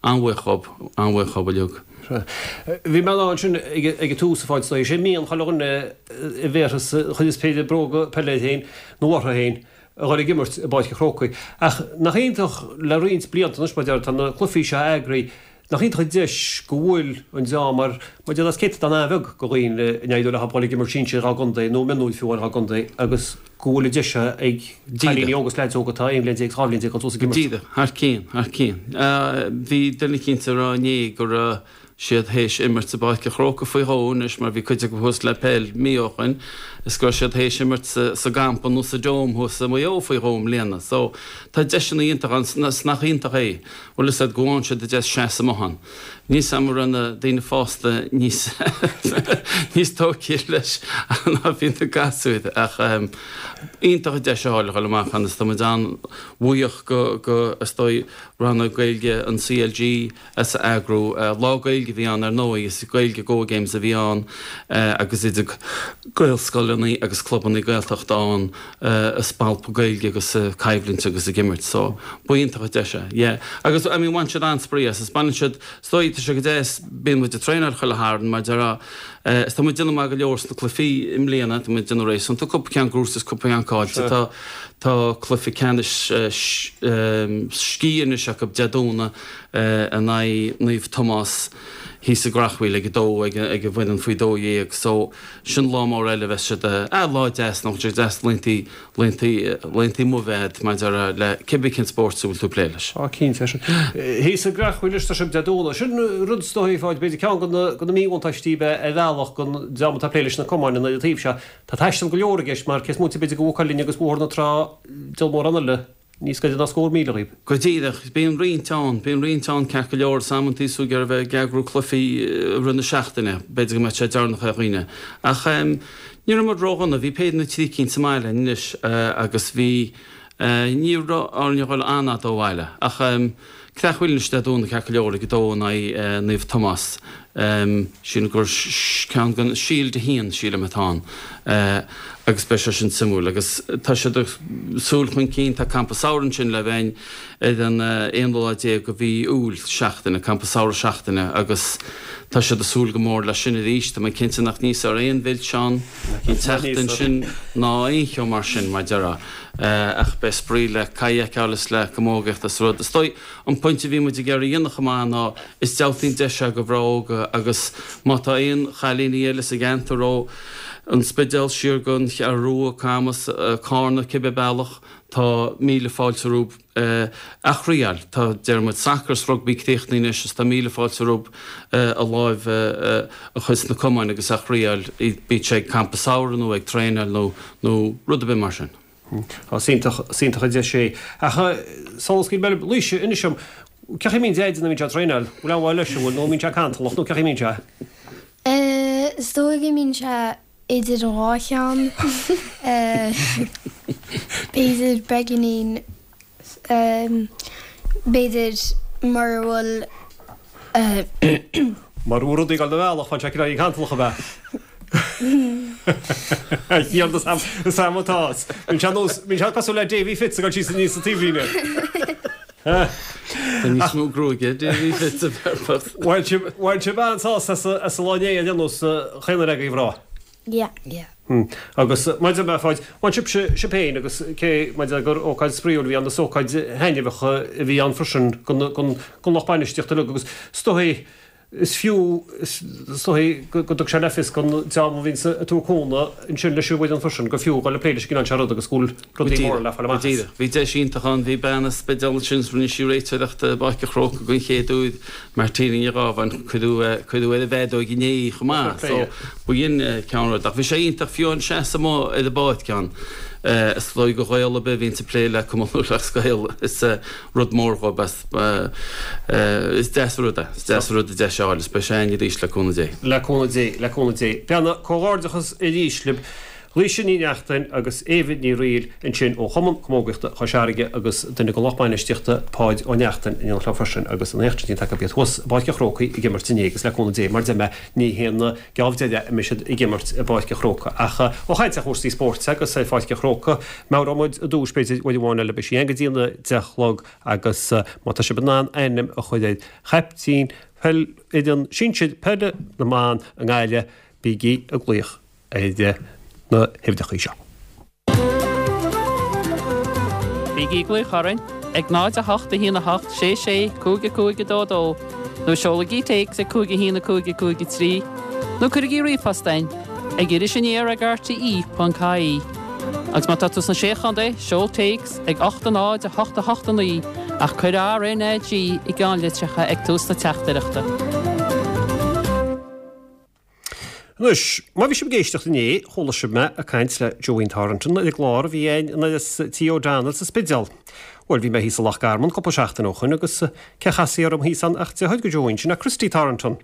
an-bhuíoch dhób, an-bhuíoch dhób uilig. Bhí mé ann ansin ag an tús, a Pháid, is é mian chuile dhuine a bhéarfas a chuireas péire bróga peile air féin nó orthu féin a dhul ag imirt i bPáirc an Chrócaigh. Ach nach iontach le roinnt blianta anois, mar a déarfá, tá na cluichí seo eagraithe, nach iontach an deis go bhfuil an dream mar, mar a déarfá, is céatadán an-bheag de dhaoine a n-éireodh leo dhul ag imirt sinsir dhá gcontae nó mionúir fiú amháin dhá gcontae agus go bhfuil an deis seo ag cailíní óga is leaids óga atá 11 bliain is 12 bhliain dul suas ag imirt. Díreach, thar cionn, thar cionn. Bhí duine eicínt ag rá inné go raibh siad théis imirt i bPáirc an Chrócaigh faoi dhó anois mar bhí cuid acu thuas le peil mí ó shoin is go raibh siad théis imirt sa gcampa nó sa Dome thuas i Maigh Eo faoi dhó i mbliana. So, tá deiseanna iontacha ann is nach iontach é, bhfuil fhios a'd, go bhfaigheann siad an deis seasamh amuigh ann. Níl 's a'm an raibh na daoine fásta níos níos tógtha leis ná bhí na gasúir ach iontach an deis a fháil a dhul amach ann is tá muid an-bhuíoch go go is dóigh Rannóg Gaeilge an CLG as a eagrú. Lá Gaeilge a bhí ann ar ndóigh is Gaeilge Go Games a bhí ann agus idir Gaelscoileanna agus clubanna Gaeltachta ann. ag spalpadh Gaeilge agus ag coimhlint agus ag imirt so ba iontach an deis é yeah agus I mean bhain siad an-spraoi as is baineann siad is dóigh tá sé go deas bíonn muid ag traenáil chuile Shatharn mar déarfá is tá muid ag déanamh maith go leor sna cluichí i mbliana tá muid ag déanamh réasúnta cúpla ceann gnóthaithe is cúpla ceann caillte tá tá cluiche ceannais sciath anois acu Dé Domhnaigh in aghaidh Naomh Tomás thíos i gCreachmhaoil ag a dó ag ag an bhfoireann faoi 12 so Sin lá mór eile a bheas siad, ah, lá deas, nach bhfuil sé deas laethantaí, laethantaí, laethantaí amuigh a bheith a'd, mar a déarfá, le cibé cén spórt a bhfuil tú ag plé leis. Á, cinnte, sin. Thíos i gCreachmhaoil anois tá sibh Dé Domhnaigh. Sin rud is dóigh, a Pháid, b'fhéidir ceann de na, de na míbhuntáistí a bheith ar bhealach don dream atá ag plé leis na cumainn an taobh seo. Tá taisteal go leor i gceist mar cé is móite b'fhéidir de Mhaigh Cuilinn agus Bóthar na Trá, diabhal mórán eile. Níos gaire ná scór míle dhaoib. Go díreach. Bíonn roinnt ann. Bíonn roinnt ann ceart go leor. Is amantaí is tú ag iarraidh a bheith ag eagrú cluichí i rith na seachtaine, b'fhéidir go mbeadh sé deireanach ar dhaoine. Ach ní raibh muid ródhona. Bhí péire nó trí cinn sa mbaile anois agus bhí, ní raibh orainn a dhul an-fhada ó bhaile. Ach Creachmhaoil anois Dé Domhnaigh ceart go leor ag a dó in aghaidh Naomh Tomás. Sílim gur ceann den Shield 1, sílim, atá ann agus beidh sé sin suimiúil. Agus tá siad ag súil chun cinn, tá campa samhraidh ansin le bheith ar an aonú lá déag de mhí Iúil, seachtaine, campa samhraidh seachtaine agus tá siad ag súil go mór leis sin arís. Tá mé cinnte nach n-íosfar aon mhilseán an tseachtain sin ná aon cheo mar sin, mar déarfá. Ach beidh spraoi le caid a fheiceáil is le camógaíocht is rud. Is dóigh an pointe a bhí muid ag iarraidh a dhéanamh chomh maith ná is diabhaltaí an deis é do mhná óga agus má tá aon chailíní eile sa gceantar ó. An Spidéal siar go an Cheathrú Rua, Camas, Cárna, cibé bealach, tá míle fáilte rompu a thriáil. Tá, deir muid, sacar is rugbaí críochnaithe anois is tá míle fáilte rompu a láimh a chur sna camáin agus a thriáil, bíodh sé ag campa samhraidh nó ag traenáil nó nó rud ar bith mar sin. Tá, is iontach, is iontach an deis é. Ach sula scaoilfidh mé libh, Laoise, inis dom, cén chaoi a mbíonn Deaide nuair a bhíonn sé ag traenáil? Bhfuil aon mhaith leis, an bhfuil, nó an mbíonn sé cantalach nó cén chaoi a mbíonn sé? Is dóigh go mbíonn sé idir an dhá cheann. B'fhéidir beagáinín, b'fhéidir mura bhfuil. Mura bhfuil rudaí ag dul a bhealach, faigheann sé cineál cantalach ab ea? Chian, is am atá. Bíonn sé nós, bíonn sé cosúil le Davy Fitz ag dul síos aníos sa taobhlíne. Tá níos mó gruaige ag Davy Fitz a bhearfas. Bhain sibh, bhain sibh an-sásamh as, as an lá inné ar aon nós, chaon duine agaibh a rá. Yeah. Yeah. Agus maidir le Pháid, bhain sibhse, sibh féin agus cé maidir le gur ócáid spraíúil a bhí ann, is ócáid thaitneamhach a bhí ann freisin don, don, don lucht bainistíochta uilig agus is dóigh, Is fiú, is dóigh, go dtug sé le fios don dream a bhíonns ag tabhairt cúnamh ansin leis an bhfoireann freisin gur fiú dul ag plé leis an gcineál seo rud agus go bhfuil rudaí móra le fáil amach as. Bhí deis iontach ann. Bhí bean as Spidéal ansin is rinne sí réiteoireacht i bPáirc an Chrócaigh den chéad uair, Martina Ní Ghábháin. Cuireadh cuireadh ar an bhfeadóig inné í chomh maith. So b'in ceann rud. Ach bhí sé iontach fiú an seasamh amuigh ar an bpáirc ann. Is dóigh do Ghael ar bith a bhíonns ag plé le Cumann Lúthchleas Gael is rud mór dhóibh Is deas an rud é. Is deas an rud an deis a fháil is beidh sé againn arís le cúnamh Dé. Le cúnamh Dé, le cúnamh Dé. Beanna, comhghairdeachas arís libh. Laoise Ní Neachtain agus Éabha Ní Fhrighil ansin ó Chumann Camógaíochta Chois Fharraige agus duine den lucht bainistíochta, Páid Ó Neachtain, in éineacht leo freisin agus an éacht sin déanta acu iad thuas i bPáirc an Chrócaigh ag imirt inné agus le cúnamh Dé, mar deir mé, ní hé an geábh deiridh a mbeidh siad ag imirt i bPáirc an Chrócaigh. Ach ó chaint ar chúrsaí spóirt agus ar Pháirc an Chrócaigh, meabhróidh muid i dtús, b'fhéidir, uair amháin eile, beidh sí ann go dtí an 10 a chlog agus má tá sibh in ann ainm a chur ar chaiptín peil fhoireann sinsir peile na mban i nGaillimh, bígí ag glaoch ar na huimhreacha seo. Bígí ag glaoch orainn ag 0 8 1 8 6 6 5 5 2 2 nó seolaigí téacs ag 5 1 5 5 3 nó cuirigí ríomhphost chugainn ag irisaniar ag rte.ie. Agus má tá tú sna Sé Chontae, seol téacs ag 8 0 8 8 9 ach cuir RNAG i gceannlitreacha ag tús na teachtaireachta. Anois, má bhí sibh ag éisteacht inné, chuala sibh mé ag caint le Joeín Thornton ar an gclár a bhí againn in áras Tí O'Donnell sa Spidéal. Bhuel, bhí mé thíos i Loch Garman cúpla seachtain ó shoin agus cé chasfaí orm thíos ann ach deartháir do Joeín, sin é Christy Thornton.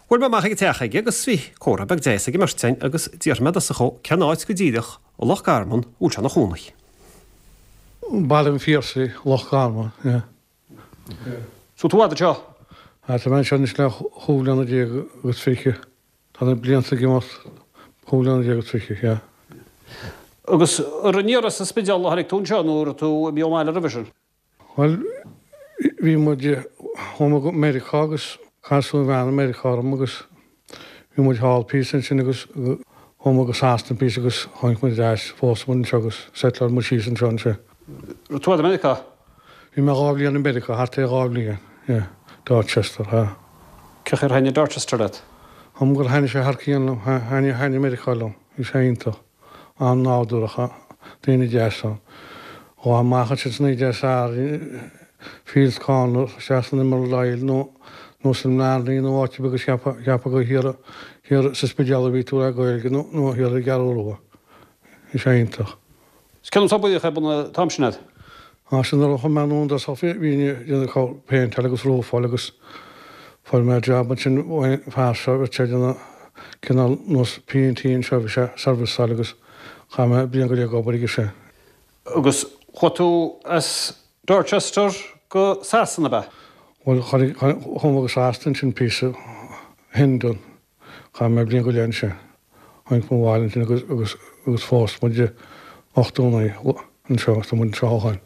Bhuail mé amach ag an teach aige agus bhí comhrá beag deas ag an mbeirt againn agus d'fhiafraigh mé i dtosach dhó cén áit go díreach i Loch Garman a bhfuil sé ina chónaí. Baile an Phiarsaigh, Loch Garman, yeah. So tú fhad anseo? Ah, tá mé anseo anois le chúig bliana déag agus fiche. Tá na blianta ag imeacht, chúig bliana déag agus fiche, yeah. Agus ar aniar as an Spidéal a tháinig tú anseo nó raibh tú imithe ón mbaile roimhe sin? Bhuel, bhí muid, chuaigh mé go Meiriceá agus casadh an bhean i Meiriceá orm agus bhí muid thall píosa ansin agus chuaigh muid go Sasana píosa agus tháinig muid ar ais, phós muid anseo agus settleáil muid síos anseo ansin. Raibh tú fhad i Meiriceá? Bhí mé dhá bhliain i Meiriceá, thart ar dhá bhliain, yeah, Dorchester, yeah. Cén chaoi ar thaitnigh Dorchester leat? Am gur thaitnigh sé thar cionn liom, thaitnigh, thaitnigh Meiriceá liom, bhí sé iontach. an-nádúrtha, daoine deasa. Ghabhfá amach ansin san oíche Dé Sathairn, Fields Corner, isteach san Emerald Isle nó nó san mBlarney nó áit ar bith agus cheapfá, cheapfá gur thiar, thiar sa Spidéal a bhí tú le Gaeilge nó, nó thiar ar an gCeathrú Rua. Bhí sé iontach. Is cén obair a bhíodh ar bun an t-am sin agat? Á, sin nuair a chuaigh mé anonn i dtosach bhí, bhínn ag déanamh péinteáil agus rúfáil agus fuair mé jab ansin ón bhfear seo, bhí sé ag déanamh cineál nós P&T anseo, bhí sé serviceáil agus chaith mé bliain go leith ag obair aige sin. Agus chuaigh tú as Dorchester go Sasana, ab ea? Bhuel, chuaigh mé go Sasana ansin píosa, Hendon. Chaith mé bliain go leith ansin. Tháinig mé abhaile ansin agus, agus, agus phós muid i 89 anseo agus tá muid anseo ó shoin.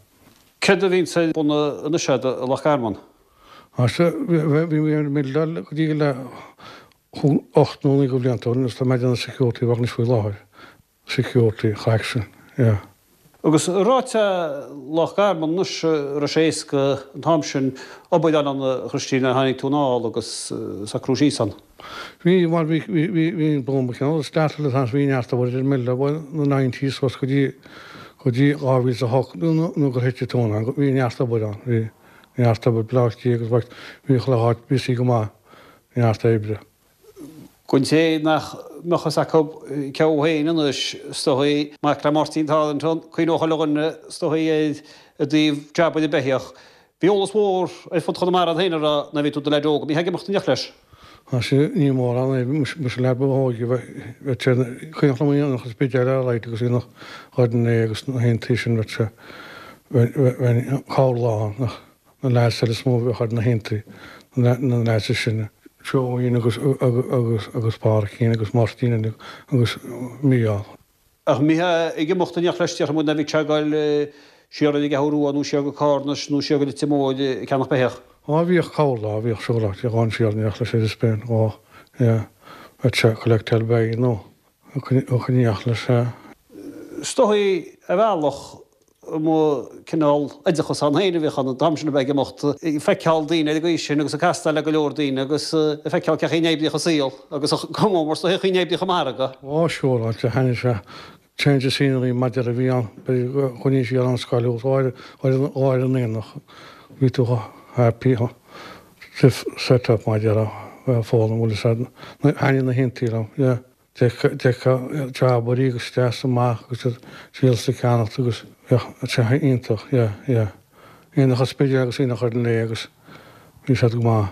Céard a bhíonns ar bun anois agat i Loch Garman? Á sea, bhí mé ar Milldale go dtí le hocht nó naoi de bhlianta ó shin agus tá mé ag déanamh security work anois faoi láthair. Security, craicsin, yeah. Agus ráite Loch Garman anois, raibh sé éasca an t-am sin obair a fháil ann a Chríostaí nuair a tháinig tú anall agus socrú síos ann? Bhí, mar bhí, bhí, bhí, bhí an boom cineál started an t-am sin, bhí neart obair idir mile, bhuel, na nineties suas go dtí, go dtí 2008 nó, nó gur thit an tóin ann, bhí neart obair ann, bhí neart obair, Bleá Cliath agus bhí chuile áit busy go maith, neart oibre. Don té nach mbeadh fhios acu cé thú féin anois, is dóigh, mac le Máirtín Tarleton, cuimhneoidh chuile dhuine, is dóigh, air i dtaobh jabanna beithíoch. Bhí eolas mhór ar fud Chonamara air féin a raibh nuair a bhí tú i do leaid óg. An mbítheá ag imeacht in éineacht leis? Tá sé ní mórán é, mise leaid ba óige bheadh sé cuimhneach liom aonach an Spidéil ar light agus aonach Dhoire an Fhéich agus na haontaí sin bheadh sé bheinn corrlá ann ach na leaids eile is mó a bheadh ar na haontaí, na leaids is sine. Joeín agus agus agus Pádraicín agus Máirtín uilig agus Mícheál. Ach an mbítheá ag imeacht in éineacht leis déarfaidh muid nuair a bhí sé ag dul siar ar an gCeathrú Rua nó siar go Carna nó siar go Leitir Móir ag ceannach beithíoch. Á bhíodh corrlá, bhíodh siúlóid, bhíodh ann siar in éineacht leis ar an Spéin, á yeah, bheadh sé collect help nó ag in éineacht leis yeah. Is dóigh ar bhealach mo cineál oideachas ann féin a bhíodh ann an t-am sin a bheith ag imeacht ag feiceáil daoine ar an gcaoi sin agus ag castáil le go leor daoine agus ag feiceáil cén chaoi a n-oibríodh an saol agus go mór mór is dóigh an chaoi a n-oibríodh an margadh. Á siúráilte, thaitnigh sé. Change of scenery maidir a bhí ann, b'fhéidir go gcoinnigh siar an scoil thuas ar an aonach, bhí tú chomh happy set up maidir a foghlaim bhfuil fhios a'd, thaitnigh na haontaí liom, yeah. D'fheicfeá jobairí agus isteach is amach agus iad díol is ag ceannacht agus bheadh sé iontach, yeah, yeah. Aonach an Spidéil agus aonach Dhoire an Fhéich agus bhí siad go maith.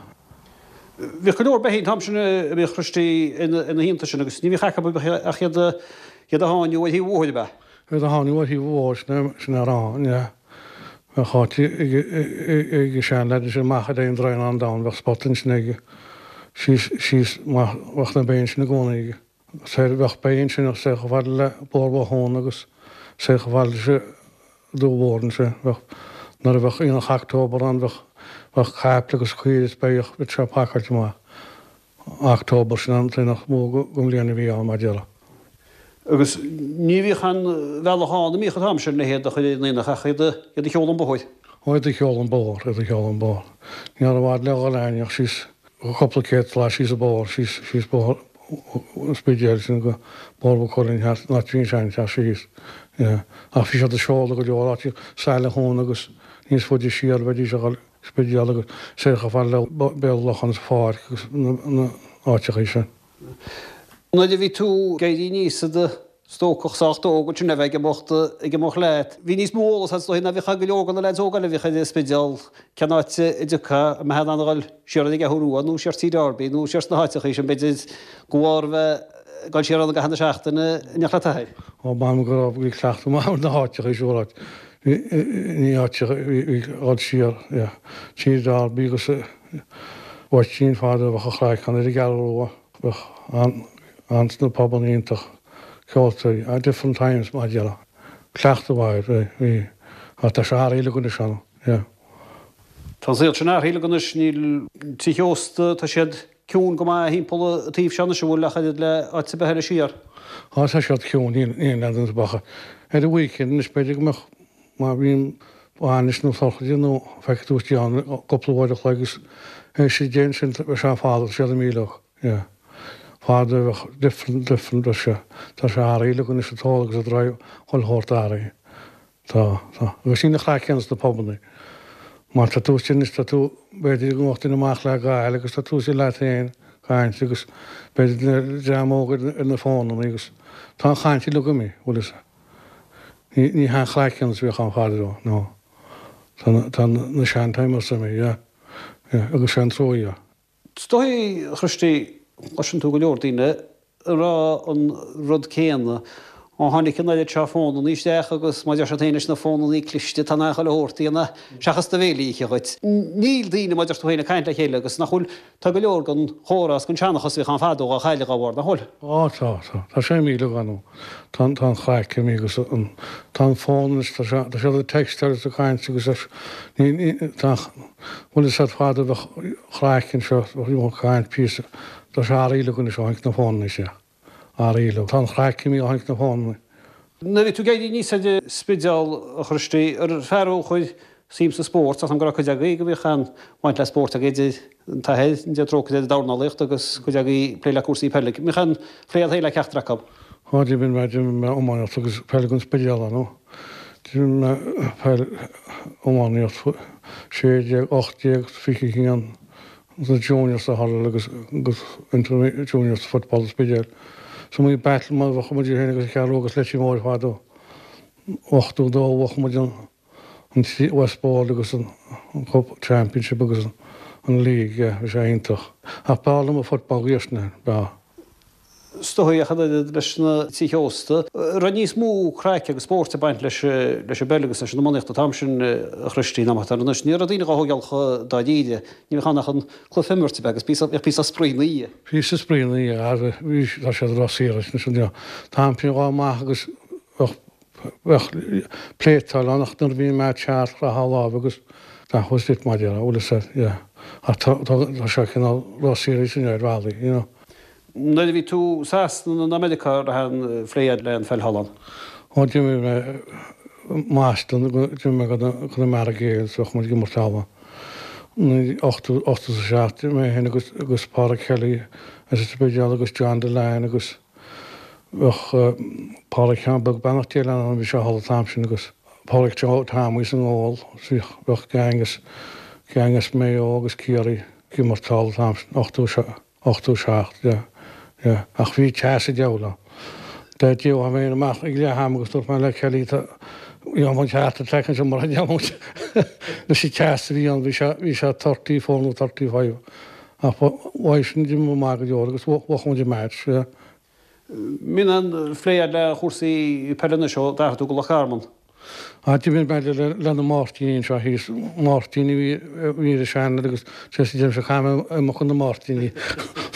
Bhíodh go leor beithígh an t-am sin a bhíodh Christy ina theannta sin agus ní bhíodh acu ach iad a sháinniú ar thaobh an bhóthair, ab ea? Iad a sháinniú ar thaobh an bhóthair, sin é rá, yeah. Bheadh áit ag an seanleaid ansin amach ar aon Droighneán Donn, bheadh spot ansin aige, síos, síos, bheadh na béithe ansin i gcónaí aige. Soir, bheadh béithe ansin soir chomh fada le Bóthar Bhothúna agus soir chomh fada leis an Dumha Mhór ansin. Bheadh, nuair a bheadh aonach October ann, bheadh, bheadh caiple agus caoire is beithíoch, bheadh sé pacáilte amach. October, sin an t-aonach mór den bhliain a bhí ann, mar déarfá. Agus ní bhíodh aon bhealach ann, an mbíodh an t-am sin le hiad a chur ar an aonach ach iad a sheoladh an bóthar. Ó, iad a sheoladh an bóthar, iad a sheoladh an bóthar. Ní raibh i bhfad le dhul a'inn ach síos, cúpla céad slat síos an bóthar, síos, síos bóthar an Spidéil, sin go Bóthar Mhaigh Cuilinn thart, an áit a bhí an seanteach síos. Yeah. Ach bhí siad ag seoladh go leor áiteacha, Saile Thún agus níos faide siar bheidís a dhul. Spidéal agus soir chomh fada le Béal Locháin is Pháirc agus na áiteachaí sin. Nuair a bhí tú ag éirí aníos i do stócach sách óg ansin le bheith ag imeacht ag imeacht leat, bhí níos mó eolas agat is dóigh ná bhíodh ag go leor de na leaids óga eile a bhíodh ar an Spidéal cén áit a dtiocfá, an mbeifeá in ann a dhul siar ar an gCeathrú Rua nó siar Tí Darby nó siar sna háiteachaí sin b'fhéidir go bharr a bheith ag dul siar ann i gcaitheamh na seachtaine in éineacht le t'athair. Ó m'anam go raibh, bhí cleachtadh maith ar na háiteachaí siúráilte. Ní áit a dhul siar Tí Darby agus Mháirtín fadó bheadh an chraic ann ar an gCeathrú Rua bheadh an sna pubanna iontach ceoltóirí at different times mar a déarfá. Cleachtadh mhaith air bhí ach tá sé athraithe uilig anois ann yeah. Tá an saol sin athraithe uilig anois níl tithe ósta tá siad ciúin go maith thimpeall an taobh seo anois an bhfuil ach oiread le áit ar bith eile siar. Á tá siad ciúin, níl aon leaid iontu ach ar an weekend anois b'fhéidir go mbeadh má bhíonn bainis nó sochraide nó feicfidh tú istigh ann cúpla uair a chloig agus théis a deich ansin beidh sé fada tá siad imithe uilig yeah. Fadó bheadh different different bheadh sé tá sé athraithe uilig anois an t-ól agus an drive chuile shórt athraithe. Tá, tá. Agus níl an chraic céanna sna pubannaí. Má tá tú istigh anois, tá tú, b'fhéidir go ngabhfadh duine amach le gail agus tá tú istigh leat féin ag caint agus b'fhéidir dream óg ar na fónannaí agus tá an chaint uilig imithe, bhfuil fhios a'd. Ní, ní hé an chraic céanna is a bhíodh ann fadó, no. Tá na, tá na sean-timers imithe, yeah, yeah, agus sé an trua é. Is dóigh, a Christy, cloiseann tú go leor daoine ag rá an rud céanna. Ó tháinig an oiread seo fónannaí isteach agus mar a deir siad féin leis na fónannaí cliste, tá in ann chuile shórt a dhéanamh seachas do bhéal a ithe dhuit. Níl daoine, mar a deir tú féin, ag caint le chéile agus nach bhfuil, tá go leor den chomhrá is den seanchas a bhíodh ann fadó á chailleadh dá bharr, nach bhfuil? Á tá, tá. Tá sé imithe uilig ann. Tá an, tá an chraic imithe agus an, tá an fón anois, tá sé, tá siad ag textáil is ag caint agus ar, ní, ní, tá, bhfuil fhios a'd fadó bheadh craic anseo, bheadh ag caint píosa, tá sé athraithe uilig anois ó tháinig na fónanna isteach, athraithe uilig. Tá an chraic imithe ó tháinig na fónanna. Nuair a bhí tú ag éirí aníos ar an Spidéal, a Chriosty, ar fear thú a chuir suim sa spórt, tá 's agam go raibh cuid agaibh go mbíodh an-bhaint le spórt agaibh, idir an t-athair, an Dia trócaire air, dornálaíocht agus cuid agaibh ag plé le cúrsaí peile. An mbíodh aon phlé agat féin le ceachtar acu? Á, d'imir mé, d'imir mé iománaíocht agus peil don Spidéal ar ndóigh. D'imir mé peil, iománaíocht, 16, 18, 21, na juniors sa hurl agus agus inter juniors football sa Spidéal. Is iomaí battle mar bhuaigh muid féin agus an Cheathrú agus Leitir Móir fadó. 82 bhuaigh muid an an West Board agus an Cup Championship agus an League, yeah, bhí sé iontach. Ach b'fhearr liom an football dhaoirseanna, b'fhearr. Is dóigh ach an oiread leis na tithe ósta, raibh níos mó craic agus spóirt ag baint leis an bpeil agus leis an iománaíocht an t-am sin, a Chriosty, ná mar atá anois. Ní raibh daoine dhá thógáil chomh dáiríre. Ní bheadh ann ach an cluiche a imirt, ab ea, agus bheadh píosa spraoi ina dhiaidh. Píosa spraoi ina dhiaidh, bhí, tá siad róshaor anois, an t-am sin dhá maith agus bheadh Bheadh pléatáil ann ach nuair a bhí an match thart chroithfeá lámh agus that was it mar a déarfá, bhfuil fhios a'd, yeah. Ach tá, tá, tá sé cineál ró-serious inniu ar bhealaí, you know. Nuair a bhí tú i Sasana nó Meiriceá an raibh aon phlé a'd le an pheil thall ann? Ó d'imir mé Moston, d'imir mé do Connemara Gaels, bheadh muid ag imirt thall ann. 87, 87, mé féin agus, agus Pádraig Kelly as an Spidéal agus John Dillane agus, Bheadh Pádraig Sheáin Beag beannacht Dé leis ann, bhí sé thall an t-am sin agus Pádraig Joe Tommy sa ngól, bhíodh, bheadh gang as, gang as Maigh Eo agus Ciarraí ag imirt thall an t-am sin, 87, 87, yeah, yeah. Ach bhí teas an diabhail ann. Dá dtéadh mé féin amach ag leath ama agus dúirt mé le Kelly tá, gheobhaidh muid heart attack anseo mura ndéanann muid leis an teas a bhí ann, bhí sé, bhí sé 34 nó 35. Ach ba mhaith sin d'imir maith go leor agus bhuaigh muid an match, yeah. Mbíonn aon phlé a'd le chúrsaí peile anois ó d'athraigh tú go Loch Garman? Ah, d'imir mé le le na Máirtíní anseo thíos, Máirtíní a bhí a bhí ar an seanad agus just deirimse caithfidh mé imeacht chun na Máirtíní.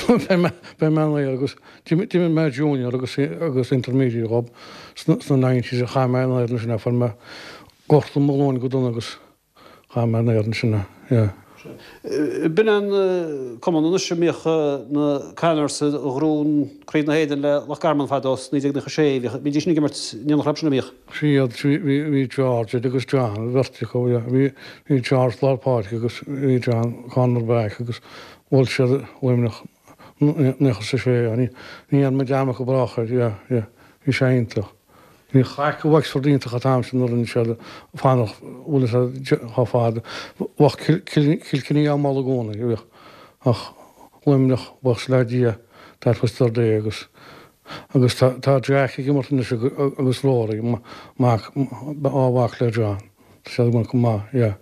Beidh mé beidh mé an agus d'imir mé junior agus agus intermediate dhób sna sna nineties a chaith mé in éadan sin a fuair mé gortú mo ghlúin go dona agus Chaith mé in éadan sin, yeah. B'in an cumann anois a mbíodh na Connors a ghnóthaigh Craobh na hÉireann le Loch Garman fadó sa 1996. Bhíodh, bhídís ag imirt in éineacht leob sin, an mbíodh? Siad, bhí, bhí George agus John, an bheirt acu, yeah. Bhí, bhí George lár páirce agus bhí John corner back agus bhuail siad Luimneach 96, yeah. Ní, ní dhéanfaidh mé dearmad go brách air, yeah, yeah. Bhí sé iontach. Bhí craic i Wexford iontach an t-am sin nuair a rinne siad fanacht bhfuil fhios a'd chomh fada. Bheadh Kilkenny á moladh i gcónaí, bhíodh. Ach Luimneach, buíochas le Dia, that was their day agus agus tá tá Jack ag imirt anois agus Rory, mac, á mhac le John. Tá siad ag imirt go maith, yeah.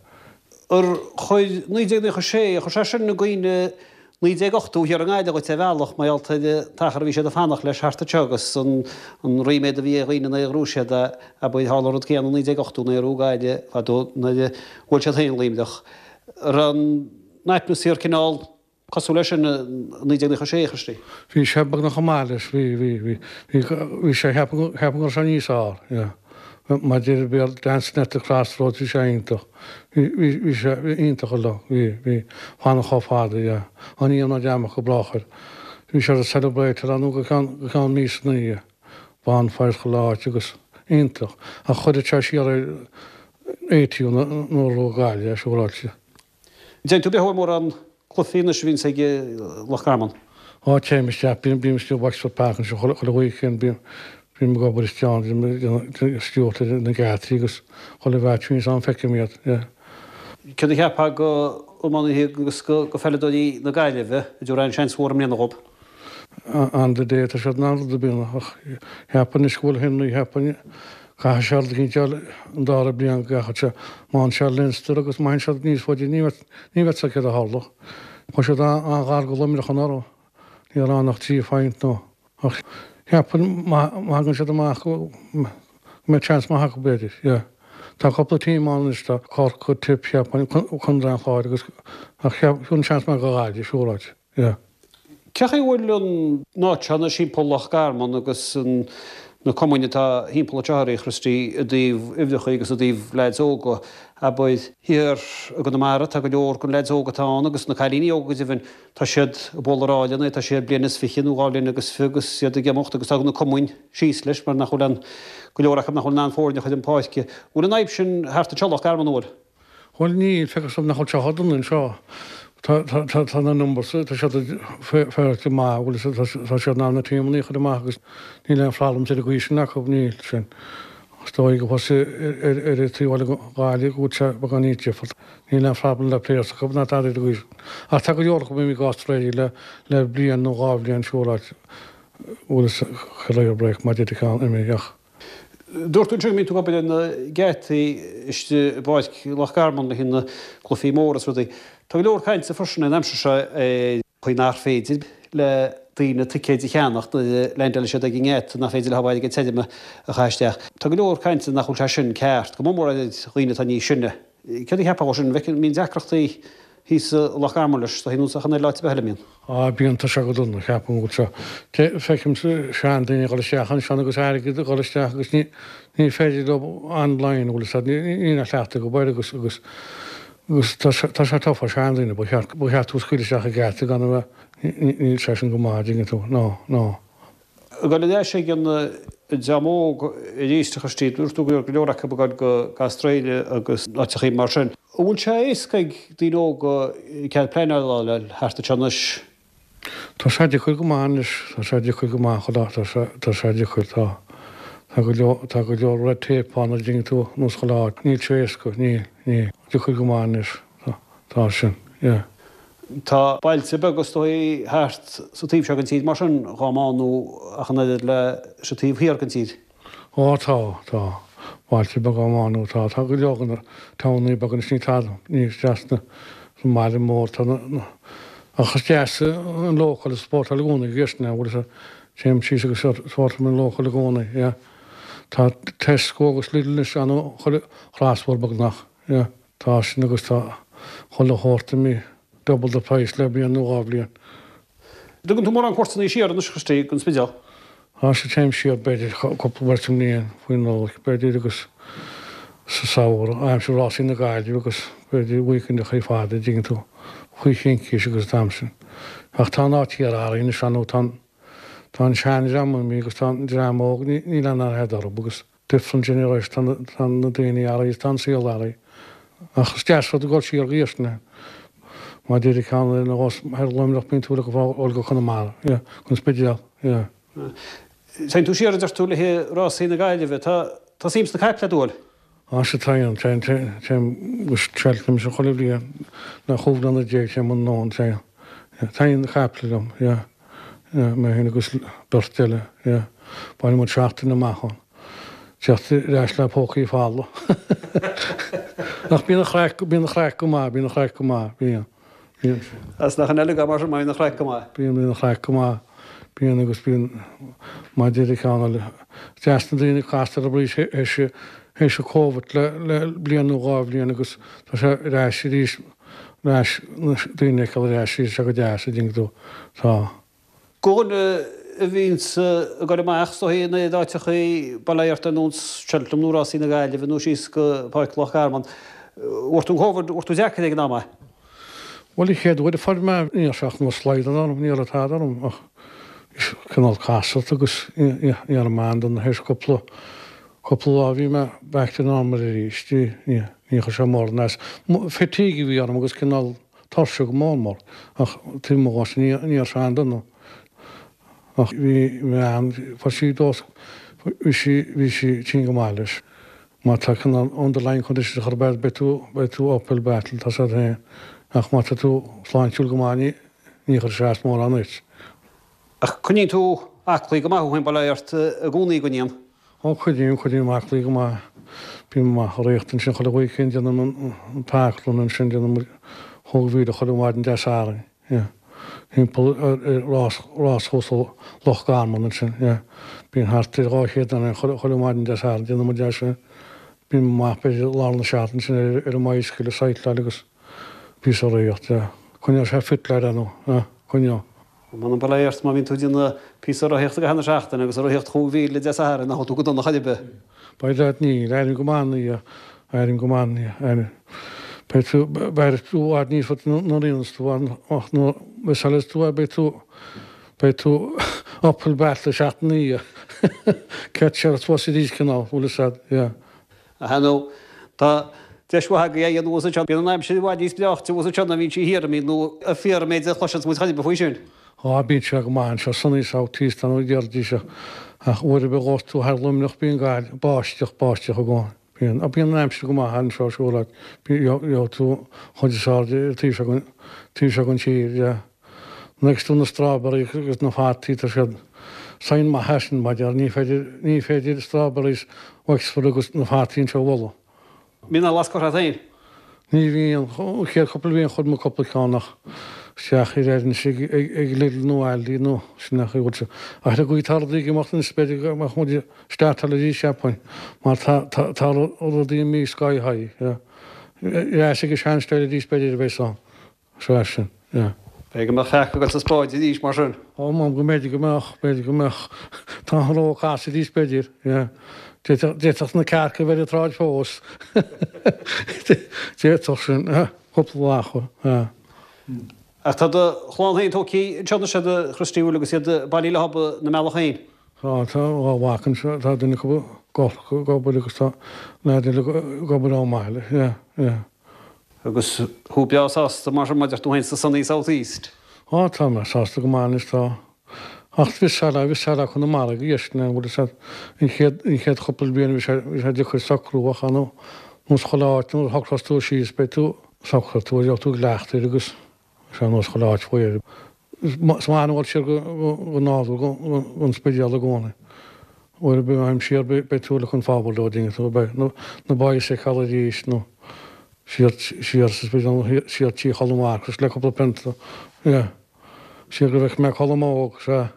Ar chuir 1996, ar chuir sé sin i gcuimhne 1980 thiar i nGaillimh dhuit ar bhealach mar gheall ar an t-achar a bhí siad ag fanacht leis thart anseo agus an ríméad a bhí ar dhaoine nuair a ghnóthaigh siad é, abair, tharla an rud céanna i 1980 nuair a ghnóthaigh Gaillimh fadó nuair a bhuail siad féin Luimneach. Raibh an atmaisféar cineál cosúil leis sin i 1996, a Christy? Bhí sé beagnach chomh maith leis, bhí, bhí, bhí, bhí, bhí sé, cheapaim, cheapaim go raibh sé níos fearr, yeah. Mar deir an Béarla, dancing at the crossroads, bhí sé iontach. Bhí, bhí, bhí sé iontach an lá, bhí, bhí, fanacht chomh fada, yeah. Á ní dhéanfaidh mé dearmad go brách air. Bhí siad ag celebrate ar nó go ceann, go ceann míosa ina dhiaidh. Bonfires chuile áit agus iontach. Ach chuirfeadh sé siar ar eighty nuair a bhuaigh Gaillimh é, siúráilte. Dtéann tú beo ar mórán cluichí anois a bhíonns ag Loch Garman? Á, téim isteach, bím, bím istigh i Wexford Park anseo chuile, chuile weekend, bím, bím ag obair istigh ann, bím ag déanamh stiúrtha ar na geataí agus chuile mheaits a bhíonns ann feicim iad, yeah. Céard a cheapfá go iománaithe agus go pheileadóirí na Gaillimhe, an dtabharfá aon seans mhór i mbliana dhób? On the day tá siad in ann rud ar bith a dhéanamh ach cheapfainn anois go bhfuil Henry cheapfainn caithfidh sé rud eicínt a fháil an dara bliain go gcaithfidh sé má fhaigheann sé Leinster agus má théann siad níos faide ní bheadh ní bheadh fhios céard a tharlódh. Chuaigh siad an-ghar go Luimneach anuraidh ní raibh ann ach trí phoint nó ach cheapfainn má thagann siad amach go mbeidh seans maith acu b'fhéidir yeah. Tá cúpla team ann anois tá Corcaigh, Tip cheapfainn Contae an Chláir agus ach cheapfainn seans maith go Gaillimh siúráilte. Yeah. Cén chaoi a bhfuil an áit seo anois thimpeall Loch Garman agus na. na cumainn atá thimpeall anseo a Christy i dtaobh uimhreacha agus i dtaobh leaids óga. Abair, thiar i gConamara tá go leor den leaids óga atá ann agus na cailíní óga go deimhin, tá siad ag bualadh ar áilleanna, tá siad bliain is fiche nó dhá bhliain agus fiche agus iad ag imeacht agus tá na cumainn síos leis mar nach bhfuil aon, go leor acu nach bhfuil in ann foirne a chur chun páirce. Bhfuil an fhadhb sin thart anseo i Loch Garman, an bhfuil? Bhuel níl, féach is nach bhfuil sé chomh dona anseo. Tá, tá, tá, tá na numbers, tá siad féaráilte maith, bhfuil fhios agat, tá siad in ann na tímeanna a chur amach agus níl aon problems ar an gcaoi sin acu, níl, sin. Is dóigh go bhfuil ar, ar an taobh eile den Ghaillimh go bhfuil sé beagán níos difriúil. Níl aon problem le players acu ná tada ar an gcaoi sin. Ach tá go leor acu imithe go Australia le, le bliain nó dhá bhliain siúráilte, bhfuil fhios agat, career break mar a deir ceann imithe ach. Dúirt tú ansin go mbíonn tú ag obair ar na geataí istigh i bPáirc Loch Garman le haghaidh na gcluichí móra is rudaí. Tá go leor cainte freisin an aimsir seo ar chaoi nach féidir le daoine ticéid a cheannach nuair a leaindeálann siad ag an ngeata, nach féidir leo airgead tirim a chaitheamh isteach. Tá go leor cainte nach bhfuil sé sin ceart, go mór mór ar dhaoine atá níos sine. Céard a cheapfá dhó sin? An bhfeiceann, mbíonn deacrachtaí thíos i Loch Garman leis, tá nós achan uile áit ar bith eile, mbíonn. Á, bíonn, tá sé go dona, ceapaim go bhfuil sé. Feicim seandaoine ag dul isteach ansin agus airgead ag dul isteach agus ní, ní féidir leo online, bhfuil fhios agat, níl aon chleachtadh acu air agus, agus, agus tá sé, tá sé tough ar seandaoine, ba cheart, ba cheart tú a scaoileadh isteach ag geata gan a bheith, níl sé sin go maith, an dtuigeann tú, no, no. Ag dul ar ais ag an dream óg arís, a Christy, dúirt tú go raibh go leor acu ag dul go Australia agus áiteachaí mar sin. An bhfuil sé éasca ag daoine óga cead pleanála a fháil thart anseo anois? Tá sé deacair go maith anois, tá sé deacair go maith, chuile áit, tá sé, tá sé deacair, tá, tá go leor, tá go leor red tape ann an dtuigeann tú, nós chuile áit, níl sé éasca, níl, níl, deacair go maith anois. Tá, tá sin, yeah. Tá bailte beaga is dóigh thart sa taobh seo den tír mar sin dhá mbánú ach an oiread le sa taobh thiar den tír. Ó tá, tá. Bailte beaga á mbánú, tá. Tá go leor de na townaí beaga anois, ní tada níos trasna sa mbaile mór, tá na, na, ach is deas an local a supportáil i gcónaí, go bhfuil fhios agat, téim síos agus supportáim an local i gcónaí, yeah. Tá Tesco agus Lidl anois ann chuile chrosbhóthar beagnach, yeah. Tá sin agus tá chuile shórt imithe double the price le bliain nó dhá bhliain. Dtugann tú mórán cuairteanna siar anois, a Christy, don Spidéal? Tá sea, téim siar b'fhéidir cúpla uair sa mbliain faoin Nollaig b'fhéidir agus sa samhradh, aimsir rásaí na Gaillimhe agus b'fhéidir weekendeachaí fada, an dtuigeann tú, faoi chincís agus an t-am sin. Ach tá an áit thiar athraithe anois ar ndóigh, tá an, tá an seandream imithe agus tá an dream óg, níl aon aithne orthu agus different generation, tá na daoine athraithe, tá an saol athraithe. Ach is deas rud a dhul siar go hiarsna. Mar deir ceann ar nós thoir Luimneach bíonn tú le go go Conamara, yeah, go an Spidéal, yeah. Téann tú siar a deir tú le haghaidh rásaí na Gaillimhe. Tá tá suim sna caiple agat, an bhfuil? Á sea téim, téim, téim, téim go Cheltenham sin chuile bhliain le chúig bhliana déag téim anonn, téim. Yeah, taitníonn na caiple liom, yeah. Yeah, mé féin agus beirt eile, yeah. Baineann muid seachtain amach ann. Teacht ar ais le pócaí folamh. Ach bíonn an chraic, bíonn an chraic go maith, bíonn an chraic go maith, bíonn. Bíonn. As nach in eile mar sin, bíonn an chraic go maith. Bíonn, bíonn an chraic go maith. Bíonn agus bíonn, mar deir an ceann eile, deas na daoine casta ar arís théis, théis an Covid le, le bliain nó dhá bhliain agus tá sé ar ais arís. Ar ais, na daoine a fheiceáil ar ais, tá sé go deas, an dtuigeann tú. Tá. Do dhuine a bhíonns ag dul amach is dóigh in áiteachaí bail ó Dhia ort ar nós Cheltenham nó Rásaí na Gaillimhe nó síos go Páirc Loch Garman, bhfuair tú an Covid, bhfuair tú deacair ag an am é? Bhuel, an chéad uair a fuair mé, ní raibh sé ach nós slaghdán orm, ní raibh tada orm ach cineál casacht agus ní raibh mé an-dona théis cúpla Cúpla lá bhí mé back to normal arís, ní chuir sé mórán as. Fatigue a bhí orm agus cineál tuirse go mór mór ach taobh amuigh dhó sin ní raibh sé an-dona. Ach bhí m'bhean, fuair sí dós, bhí sí, bhí sí tinn go maith leis. Má tá cineál underlying condition ar chor ar bith beidh tú, beidh tú uphill battle, tá sé féin. Ach má tá tú sláintiúil go maith ní, ní chuirfidh sé as mórán duit. Ach coinníonn tú aclaí go maith thú féin, bail ó Dhia ort i gcónaí, an gcoinníonn? Ó, coinním, coinním aclaí go maith. Bím amach ag rith ansin chuile weekend, déanaim an parkrun ansin, déanaim chúig mhíle chuile mhaidin Dé Sathairn, yeah. Timpeall ar rás, ráschúrsa Loch Garman ansin, yeah. Bíonn thart ar 200 duine ann chuile mhaidin Dé Sathairn, déanann muid é sin. Bím amach b'fhéidir lár na seachtaine ansin ar an mbicycle ag cycláil agus píosa ag rith, yeah. Coinneoidh sé fit lad, ar ndóigh, yeah, coinneoidh. M'anam bail ó Dhia ort má bhíonn tú ag déanamh píosa rothaíochta i gcaitheamh na seachtaine agus ag rothaíocht chúig mhíle Dé Sathairn nach bhfuil tú go dona chor ar bith. By dad níl, airím go maith ina dhiaidh, airím go maith ina dhiaidh, airím. Beidh tú, beidh tú i bhfad níos faide nuair a dhéanas tú ach nuair a mhiseálas tú é beidh tú, beidh tú uphill battle seachtain ina dhiaidh. Catch up suas arís cineál, bhfuil fhios a'd, yeah. Ach ar ndóigh, tá deis mhaith agaibh é a dhéanamh thuas anseo. Bíonn an aimsir i bhfad níos breáichte thuas anseo ná a bhíonn sí thiar, an mbíonn, nó an fíor an méid a chloiseanns muid chor ar bith faoi sin? Á, bíonn sé go maith anseo, sunny south east nó a déarfaidís ach uair ar bith a ghabhfas tú thar Luimneach bíonn gail, báisteach, báisteach i gcónaí. Bíonn, ach bíonn an aimsir go maith anseo siúr leat, gheobhaidh tú an chuid is airde ar taobh seo den, taobh seo den tír, yeah. Nuair a fheiceas tú na strawberries agus na fataí tá siad sign maith é sin maidir, ní féidir, ní féidir strawberries Wexford agus na fataí anseo a mholadh. Mbíonn aon lasc curtha agat féin? Ní bhíonn. An chéad chúpla bliain chuir mé cúpla ceann ach isteach ar anois ag ag Lidl nó Aldi nó sin nach bhfuil sé. Ach ar an gcaoi atá rudaí ag imeacht anois b'fhéidir go mbeadh muid startáil arís cheapfainn mar tá tá tá rudaí imithe sky high yeah. Ar ais ag an sean-style arís b'fhéidir a bheas ann. Sea, sin, yeah. B'fhéidir go mbeadh cearca ag dul sa spáid arís mar sin. Ó, m'anam go mb'fhéidir go mbeadh, b'fhéidir go mbeadh. Tá an ró ag casadh arís b'fhéidir, yeah. D'fhéadfadh, d'fhéadfadh na cearca a bheith ar an tsráid fós. D'fhéadfadh sin, yeah. Cúpla lá acu, yeah. Ach tá do chlann féin tógtha anseo anois a Christy, bhfuil agus iad bailithe leob ina mbealach féin? Tá, tá dhá mhac anseo, tá duine acu i gCorcaigh ag obair agus tá leaid eile ag obair i mBaile, yeah, yeah. Agus thú breá sásta mar sin mar a deir tú féin sa sunny south east? Á tá mé sásta go maith anois tá. Ach bhí sé bhí sé le Conamara go dheis an bhfuil fhios a'd an chéad an chéad chúpla bliain bhí sé bhí sé deacair socrú ach ar nós chuile áit nuair a shocrós tú síos beidh tú socróidh tú gheobhaidh tú cleachtadh air agus Is ar nós chuile áit faoi air. Is maith liom dul siar go nádúr, gon Spidéal i gcónaí. Uair ar bith a théim siar beidh tú looking forward to it, tú beidh na boys a fheiceáil arís nó siar siar sa Spidéal nó siar tí Cholm Mharcais le cúpla pionta. Yeah. Siar go bhfeic mé Colm óg, sea.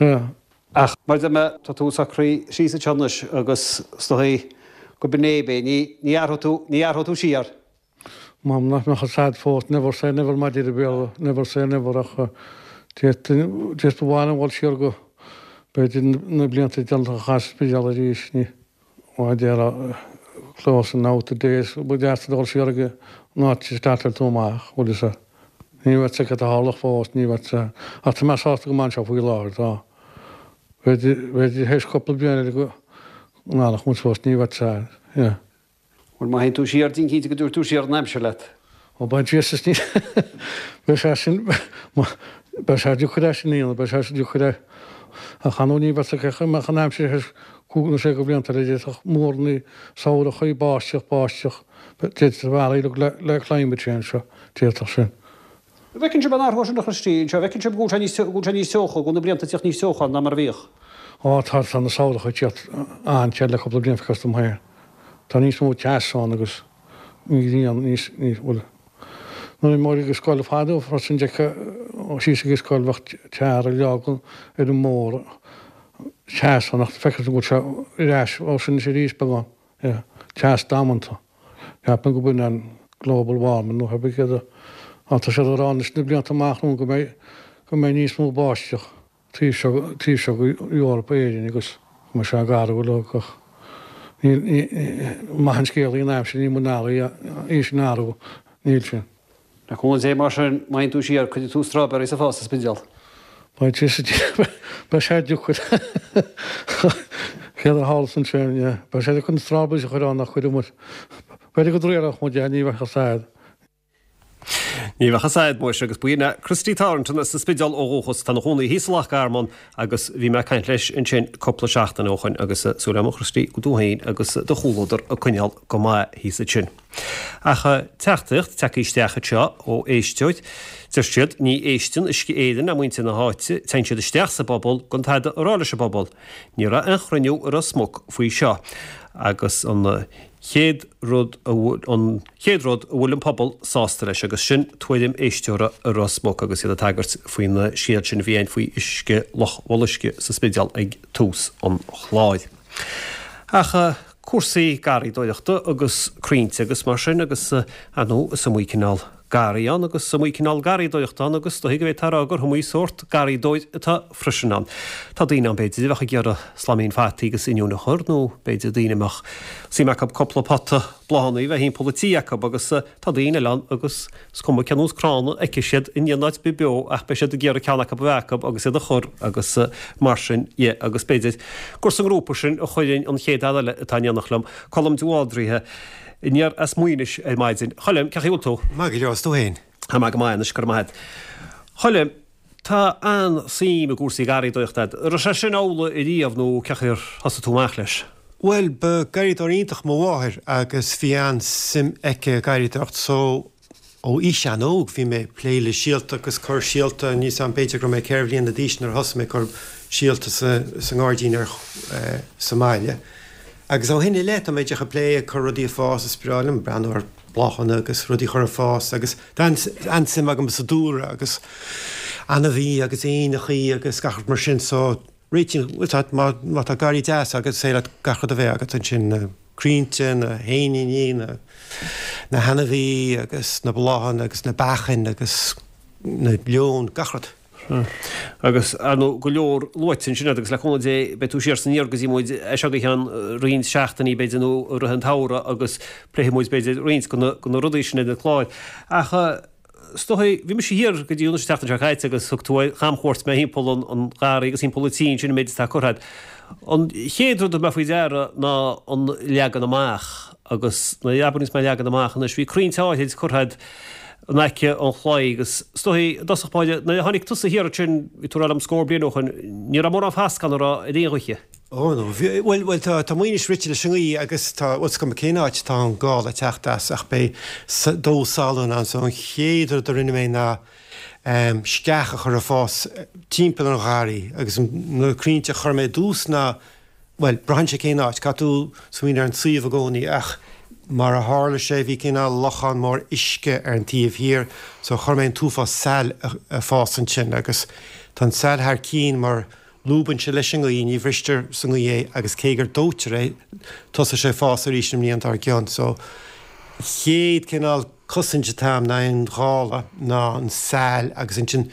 Yeah. Ach mar a deir mé, tá tú socraithe síos anseo anois agus is dóigh go b'in é, ní ní athróidh tú, ní athróidh tú siar. M'anam nach mbeadh fhios a'd fós, never say never mar a deir an Béarla, never say never ach d'fhéadfainn, ba mhaith liom dhul siar go, b'fhéidir na blianta deireanacha a chaitheamh sa Spidéal arís, ní, mar a déarfá, closing out the days, ba dheas dul siar ag an áit a startáil tú amach, bhfuil fhios a'd. Ní bheadh fhios a'd cad a tharlódh fós, ní bheadh fhios a'd, ach tá mé sásta go maith anseo faoi láthair, tá. B'fhéidir, b'fhéidir théis cúpla bliain eile go n-athródh muid fós, ní bheadh fhios a'd, yeah. Bhuel, má théann tú siar, déan cinnte go dtabharfaidh tú siar an aimsir leat. Ó, by Jesus, ní, beidh sé sin, beidh sé deacair é sin a dhéanamh, beidh sé deacair é. Ach ar ndóigh ní bheadh fhios agat mbeadh an aimsir théis cúig nó sé de bhlianta eile, d'fhéadfadh múrnaí, samhrachaí, báisteach, báisteach, d'fhéadfadh a bheith le, le climate change seo, d'fhéadfadh sin. An bhfeiceann sibh an athrú sin a Christy, anseo, an bhfeiceann sibh go bhfuil sé níos, go bhfuil sé níos teocha, go bhfuil na blianta ag tíocht níos teocha ná mar a bhíodh? Ó, tá, tá na samhracha ag tíocht an-te le cúpla bliain, feictear dom féin. Tá níos mó teas ann agus an ghrian níos, níos, bhuel, nuair a bhí muid ag an scoil fadó freisin d'fheicfeá síos ag an scoil bheadh tar a leagan ar an mbóthar, teas ann ach feictear go bhfuil sé ar ais ó sin anois arís beagán, yeah, teas damanta. Ceapaim go b'in an global warming nó pé céard a, ach tá siad ag rá anois na blianta amach romhainn go mbeidh, go mbeidh níos mó báisteach. taobh seo, taobh seo go Eoraip, Éirinn agus go mbeidh sé garbh uilig ach níl, ní, maith an scéal í an aimsir, níl muid in ann í sin a athrú, níl sin. Le cúnamh Dé mar sin, má théann tú siar, cuirfidh tú strawberries ag fás sa Spidéal. Beidh sé, beidh sé deacair. Céard a tharla ansin, yeah. Beidh sé deacair na strawberries a chur ann ach cuirfidh muid, b'fhéidir go dtriailfeadh muid é, ní bheadh fhios a'd. Ní bheadh fhios a'd, muis, agus b'in é Christy Thornton as an Spidéal ó dhúchas. Tá ina chónaí thíos i Loch Garman agus bhí mé ag caint leis ansin cúpla seachtain ó shoin agus súil agam a Christy go bhfuil tú féin agus do chomhluadar ag coinneáil go maith thíos ansin. Ach teachtaireacht tagtha isteach anseo ó éisteoir, deir siad, ní éisteann Uisce Éireann le muintir na háite, téann siad isteach sa bpobal gan tada a rá leis an bpobal. Ní raibh aon chruinniú i Ros Muc faoi seo agus an chéad rud a bhfuil an chéad rud a bhfuil an pobal sásta leis agus sin tuairim éisteora i Ros Muc agus iad ag tagairt faoin scéal sin a bhí ann faoi uisce Loch Mholuisce sa Spidéal ag tús an chláir. Ach cúrsaí garraíodóireachta agus crainnte agus mar sin agus ar ndóigh is iomaí cineál. garraí ann agus is iomaí cineál garraíodóireachta ann agus is dóigh go bhféadfá a rá gur iomaí sórt garraíodóir atá freisin ann. Tá daoine ann b'fhéidir a bheadh ag iarraidh slaimín fataí agus oinniúin a chur nó b'fhéidir daoine a mbeadh suim acu cúpla pota bláthanna a bheith thimpeall an tí acu agus tá daoine eile ann agus is cuma cén nós crann a fheicfidh siad in aon áit bith beo ach beidh siad ag iarraidh ceann acu a bheith acu agus iad a chur agus mar sin dhe agus b'fhéidir gur sa ngrúpa sin a chuirfinn an chéad fhear eile atá in éineacht liom, Colm de Bhaldraithe, aniar as Maínis ar maidin. Choilm, cén chaoi a bhfuil tú? Maith go leor, is tú féin? Tá mé go maith anois, go raibh maith agat. Choilm, tá an-suim i gcúrsaí garraíodóireachta agat. An raibh sé sin amhlaidh ariamh nó cén chaoi ar thosaigh tú amach leis? Bhuel, ba garraíodóir iontach mo mháthair agus bhí an-suim aici i garraíodóireacht so ó aois an-óg bhí mé ag plé le síolta agus cur síolta, níl 's a'm, b'fhéidir go raibh mé ceithre bhliana d'aois nuair a thosaigh mé ag cur síolta sa sa ngairdín ar sa mbaile. Agus ó shin i leith tá mé díreach ag plé ag cur rudaí ag fás, is breá liom breathnú ar bláthanna agus rudaí a chur ag fás agus tá an-suim agam sa dúlra agus ainmhí agus éanachaí agus gach rud mar sin so réitím, bhuel tá, má má tá garraí deas agat is féidir leat gach rud a bheith agat ansin, na crainnte, na héiníní, na na hainmhí agus na bláthanna agus na beachain agus na leoin, gach rud. Sea. Agus, ar ndóigh, go leor luaite ansin agat agus le cúnamh Dé beidh tú siar is aniar go dtí muid as seo go ceann roinnt seachtainí b'fhéidir nó i rith an tsamhraidh agus pléifidh muid b'fhéidir roinnt de na rudaí sin ar na cláir. Ach is dóigh, bhí mise thiar go dtí an tseachtain seo caite agus thug tú ar chamchuairt mé thimpeall an gharraí agus thimpeall an tí ansin an méid atá curtha agat. An chéad rud a thug mé faoi deara ná an leagan amach agus nuair a abraíonns mé leagan amach anois, bhí crainnte áithrid curtha agat in aice an chlaí agus is dóigh i dtosach báire nuair a tháinig tusa thiar ansin, bhí tú ag rá liom scór bliain ó shoin, ní raibh mórán fasc ann an raibh ar aon ghaoithe. Ó no, bhí, bhuel, bhuel tá, tá Maínis rite leis an ngaoth agus tá, bhuel is cuma cén áit atá an gála ag teacht as ach beidh dó salainn ann so an chéad rud a rinne mé ná ehm sceach a chur ag fás timpeall an gharraí agus na crainnte a chuir mé i dtús ná bhuel, braitheann sé cén áit, caithfidh tú smaoineamh ar an suíomh i gcónaí ach mar a tharla sé bhí cineál lochán mór uisce ar an taobh thiar so chuir mé an t-uafás sail ag fás ansin agus tá an sail thar cinn mar lúbann sé leis an ngaoth, ní bhristear sa ngaoth é agus cé gur dóitear é tosóidh sé ag fás arís an mbliain dár gcionn. So chéad cineál cosaint atá a'm in aghaidh an ghála ná an sail agus ansin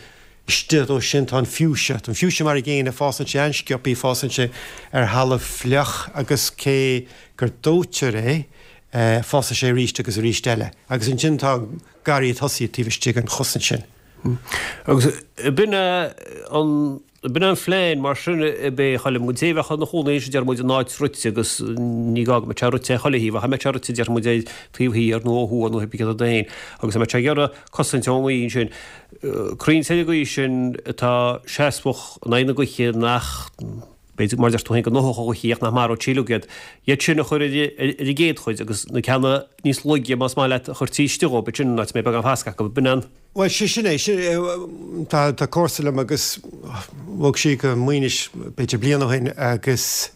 istigh dó sin tá an fuchsia. Tá an fuchsia mar an gcéanna, fásann sé an-sciobthaí, fásann sé ar thalamh fliuch agus cé gur dóitear é, fásfaidh sé arís agus arís eile. Agus ansin tá an garraí ag tosaí taobh istigh den chosaint sin. Agus b'in é an, b'in é an phlean mar sin ab é a Choilm, don té a bheadh ina chónaí ansin déarfaidh muid in áit rite agus ní gá go mbeadh sé rite ar chuile thaobh ach a mbeadh sé rite déarfaidh muid ar taobh thiar nó ó thuaidh nó pé céard é agus a mbeadh sé ag iarraidh cosaint ón ngaoth ansin. Crainnte ar an gcaoi sin atá seasmhach in aghaidh na gaoithe nach, b'fhéidir, mar a deir tú féin, go ndófadh an ghaoth ach nach maródh sí uilig iad. Iad sin a chur ar an gcéad chuid agus na ceanna níos laige, más maith leat, a chur taobh istigh dhóibh, b'shin an áit a mbeidh beagán fasc acu. B'in an. Bhuel, sé sin é. Sin é. Tá, tá comharsa liom agus bhog sí go Maínis b'fhéidir bliain ó shin agus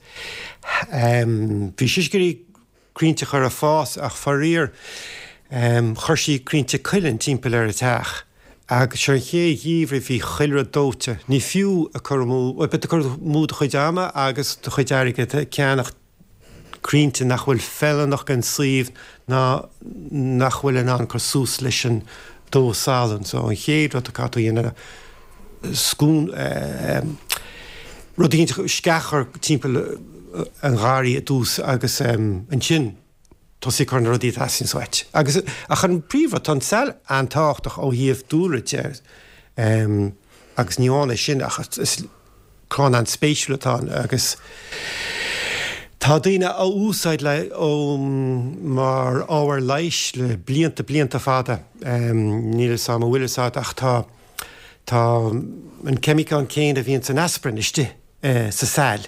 bhí sise ag iarraidh crainnte a chur ag fás ach faraor chuir sí crainnte cuilinn timpeall ar a teach agus sé an chéad gheimhreadh bhí chuile rud dóite. Ní fiú ag cur amú, bhuel beidh tú ag cur amú do chuid ama agus do chuid airgid ag ceannach crainnte nach bhfuil feiliúnach don suíomh ná nach bhfuil in ann cur suas leis an dó salainn. So an chéad rud a caithfidh tú a dhéanamh scún rud éicint sceach a chur timpeall an gharraí i dtús agus ansin tosaí ag cur na rudaí a theastaíonns uait. Agus ach an príomhrud, tá an sail an-tábhachtach ó thaobh dúlra de agus ní amháin é sin ach is crann an-spéisiúil atá ann agus tá daoine á úsáid le ó mar ábhar leighis le blianta blianta fada. Níl fhios a'm an bhfuil fhios a'd ach tá tá an ceimiceán céanna a bhíonn san aspirin istigh sa sail.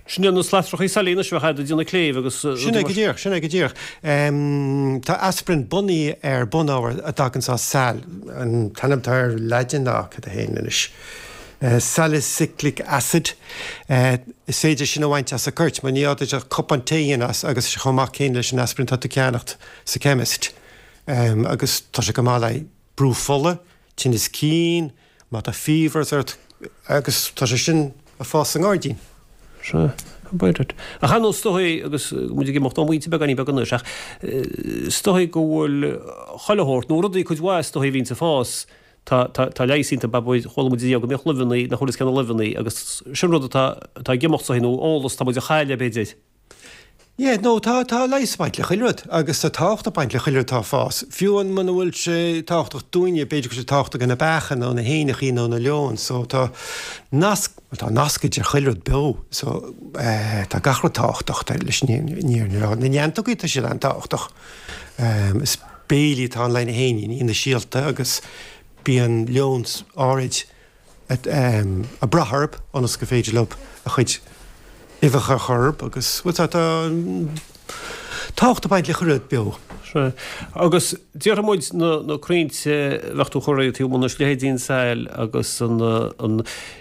Sin iad na slatrachaí sailí anois a bheadh a'd ag déanamh cléibh agus Sin é go díreach, sin é go díreach. Tá aspirin bunaithe ar bunábhar a dtagann as sail. An t-ainm atá air Laidin ná cad é féin anois? Salicylic acid. Is féidir sin a bhaint as an coirt, mar ní gá duit ach cupán tae a dhéanamh as agus sé chomh maith céanna leis an aspirin atá tú ag ceannacht sa chemist. Agus tá sé go maith le brú fola, tinneas cinn, má tá fevers ort agus tá sé sin ag fás sa ngairdín. Sea. B'fhéidir. Ach ar ndóigh is dóigh, agus muid ag imeacht ón bpointe beagáinín beag anois, ach is dóigh go bhfuil chuile shórt, nó rudaí cuid mhaith is dóigh a bhíonns ag fás, tá, tá, tá leigheas iontu, abair, chuala muid inniu go mbíodh luibheanna, nach bhfuil fhios cé na luibheanna, agus sin rud atá, atá ag imeacht is dóigh, nó eolas atá muid a chailleadh b'fhéidir. Yeah, no, tá, tá leigheas ag baint le chuile rud agus tá tábhacht ag baint le chuile rud atá ag fás. Fiú amháin muna bhfuil sé tábhachtach dúinne, b'fhéidir go bhfuil sé tábhachtach do na beacha nó na héanachaí nó na leoin. So tá nasc, bhuel tá nasc idir chuile rud beo. So eh, tá gach rud tábhachtach tá leis an fhírinne a rá. Na neantógaí tá siad an-tábhachtach. Is béilí atá ann le na héiníní, na síolta agus bíonn leoin áirid ag brath orthu ionas gur féidir leo a chuid uibheacha a chur orthu agus, bhuel, tá, tá tábhacht ag baint le chuile rud beo. Sea. Agus déarfaidh muid na, na crainnte a bheadh tú a chur taobh amuigh anois, leithéidí an tsail agus an, an,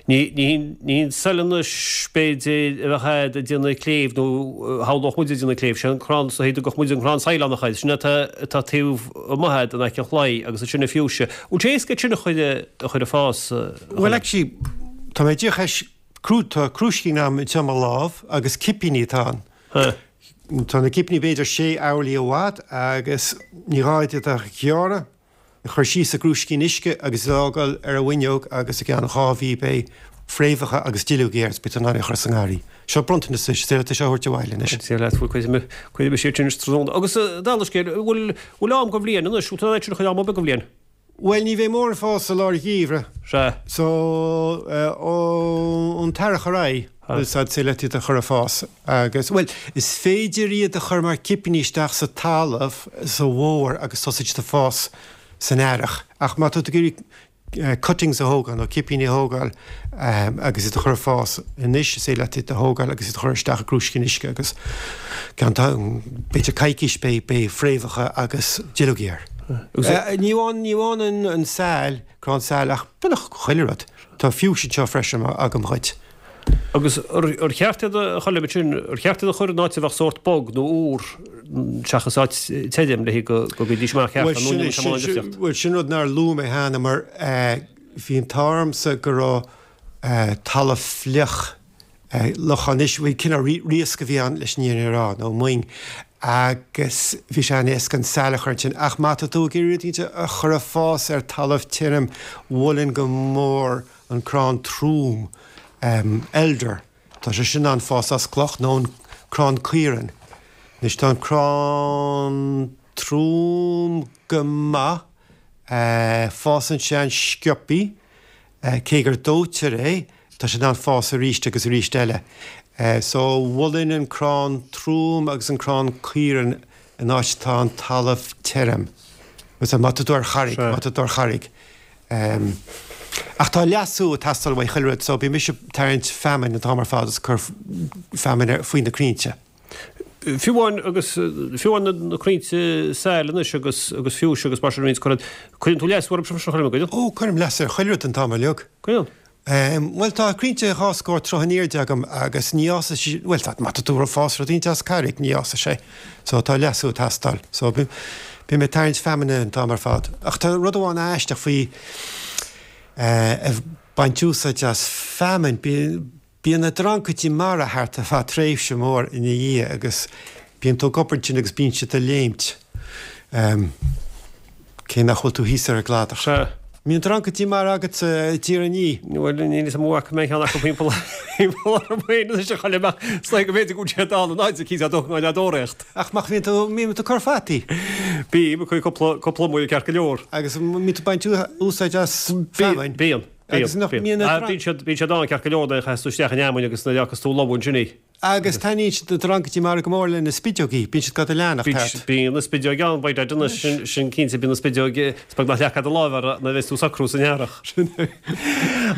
ní, ní hín, ní hín sail anois b'fhéidir a bheadh a'd ag déanamh cléibh nó shamhlódh muid ag déanamh cléibh, sé an crann, is dóigh go dtugfadh muid an crann saileánach air, sin atá, atá taobh amuigh a'd in aice an chlaí agus ansin an fuchsia. Bhfuil sé éasca sin a chur a chur ag fás? Bhuel actually tá mé díreach théis crú tá crúiscín a'm anseo i mo lámh agus cipíní atá ann. Tá na cipíní b'fhéidir sé orlaí i bhfad agus ní gá iad a ghearradh, a chur síos i gcrúiscín uisce agus iad a fhágáil ar an bhfuinneog agus i gceann 2 mhí beidh fréamhacha agus duilleogaí air is beidh tú in ann é a chur sa ngarraí. Seo bronntanas duit, is féidir leat é seo a thabhairt abhaile anois. Is féidir leat, bhuel cuirfidh mé, cuirfidh mise iad sin tráthnóna. Agus dála scéil, bhfuil, bhfuil am don bhliain anois, bhfuil tú in ann sin a chur am ar bith don bhliain? Bhuel, ní bheidh mórán ag fás i lár an gheimhridh. Sea. So, ón t-earrach ar aghaidh, is féidir leat iad a chur ag fás. Agus, bhuel, is féidir iad a chur mar cipíní isteach sa talamh sa bhfómhar agus tosaíonn siad ag fás san earrach. Ach má tá tú ag iarraidh cuttings a thógáil nó cipíní a thógáil agus iad a chur ag fás anois, is féidir leat iad a thógáil agus iad a chur isteach i gcrúiscín uisce agus ceann b'fhéidir coicís beidh beidh fréamhacha agus duilleogaí air. Ní amháin ní amháin an an sail, crann sail ach beagnach chuile rud. Tá fuchsia anseo freisin agam dhuit. Agus ar cheart iad a chur ansin, ar cheart iad a chur in áit a bheadh sórt bog nó úr seachas áit tirim le go gcuirfidís amach ceart nó níl sé mórán difríocht? Bhuel, sin rud nár luaigh mé cheana mar bhí an t-ádh ormsa go raibh talamh fliuch, lochán anois, bhuel cineál riasc a bhí ann leis an fhírinne a rá, nó moing, agus bhí sé an-éasca an sail a chur ansin. Ach má tá tú ag iarraidh rudaí a chur ag fás ar talamh tirim, mholfainn go mór an crann trom, elder, tá sé sin in ann fás as cloch, nó an crann caoirinn. Anois tá an crann trom go maith, fásann sé an-sciobthaí, cé gur dóitear é, tá sé in ann fás arís agus arís eile. So mholfainn an crann trom agus an crann caoirinn in áit atá an talamh tirim. Má tá tú ar charraig, má tá tú ar charraig. Ach tá leasú ag teastáil uaidh chuile rud so bíonn mise ag tarraingt feamainn an t-am ar fad is ag cur feamainn faoi na crainnte. Fiú amháin agus fiú amháin na crainnte sail anois agus agus fuchsia agus mar sin a bhíonns curtha, cuireann tú leasú orthu sin a gcuireann? Ó, cuirim leasú ar chuile rud an t-am uilig. Cuireann? Bhuel tá crainnte 2 scór troigh in airde agam agus ní fhásfaidh sí, bhuel tá, má tá tú ag fás rud éicint as carraig ní fhásfaidh sé. So tá leasú ag teastáil. So bím ag tarraingt feamainne an t-am ar fad. Ach tá rud amháin aisteach faoi ag baint úsáid as feamainn, bíonn na dreancaidí mara thart ar feadh tréimhse mór ina dhiaidh agus bíonn tú ag obair ansin agus bíonn siad ag léimt. Cé nach bhfuil tú thíos ar an gcladach. Sea. Mbíonn dreancaidí mara agatsa i dTír an Fhia? Bhuel, níl 'fhios a'm an bhfaca mé aon cheann acu thimpeall thimpeall orm féin anois a Choilm ach is dóigh go mb'fhéidir go bhfuil siad ann in áit eicínt á dtógáil á dtóraíocht. Ach nach mbíonn tú, mbíonn tú ag cur fataí? Bím, ag cur cúpla, cúpla amuigh ceart go leor. Agus mbíonn tú ag baint úsáid as feamainn? Bíonn, bíonn, Agus nach mbíonn na Bíonn siad, bíonn siad ann ceart go leor nuair a chaitheas tú isteach an fheamainn agus nuair a fhágas tú lobhadh ansin í. Agus taitníonn siad na dreancaidí mara go mór le na spideogaí, bíonn siad do do leanacht thart. Bíonn na spideoig ann, by dad anois, sin cinnte, bíonn na spideoig, is beag nach leagfá do láimh orthu nuair a bheas tú ag socrú san earrach. Sin é.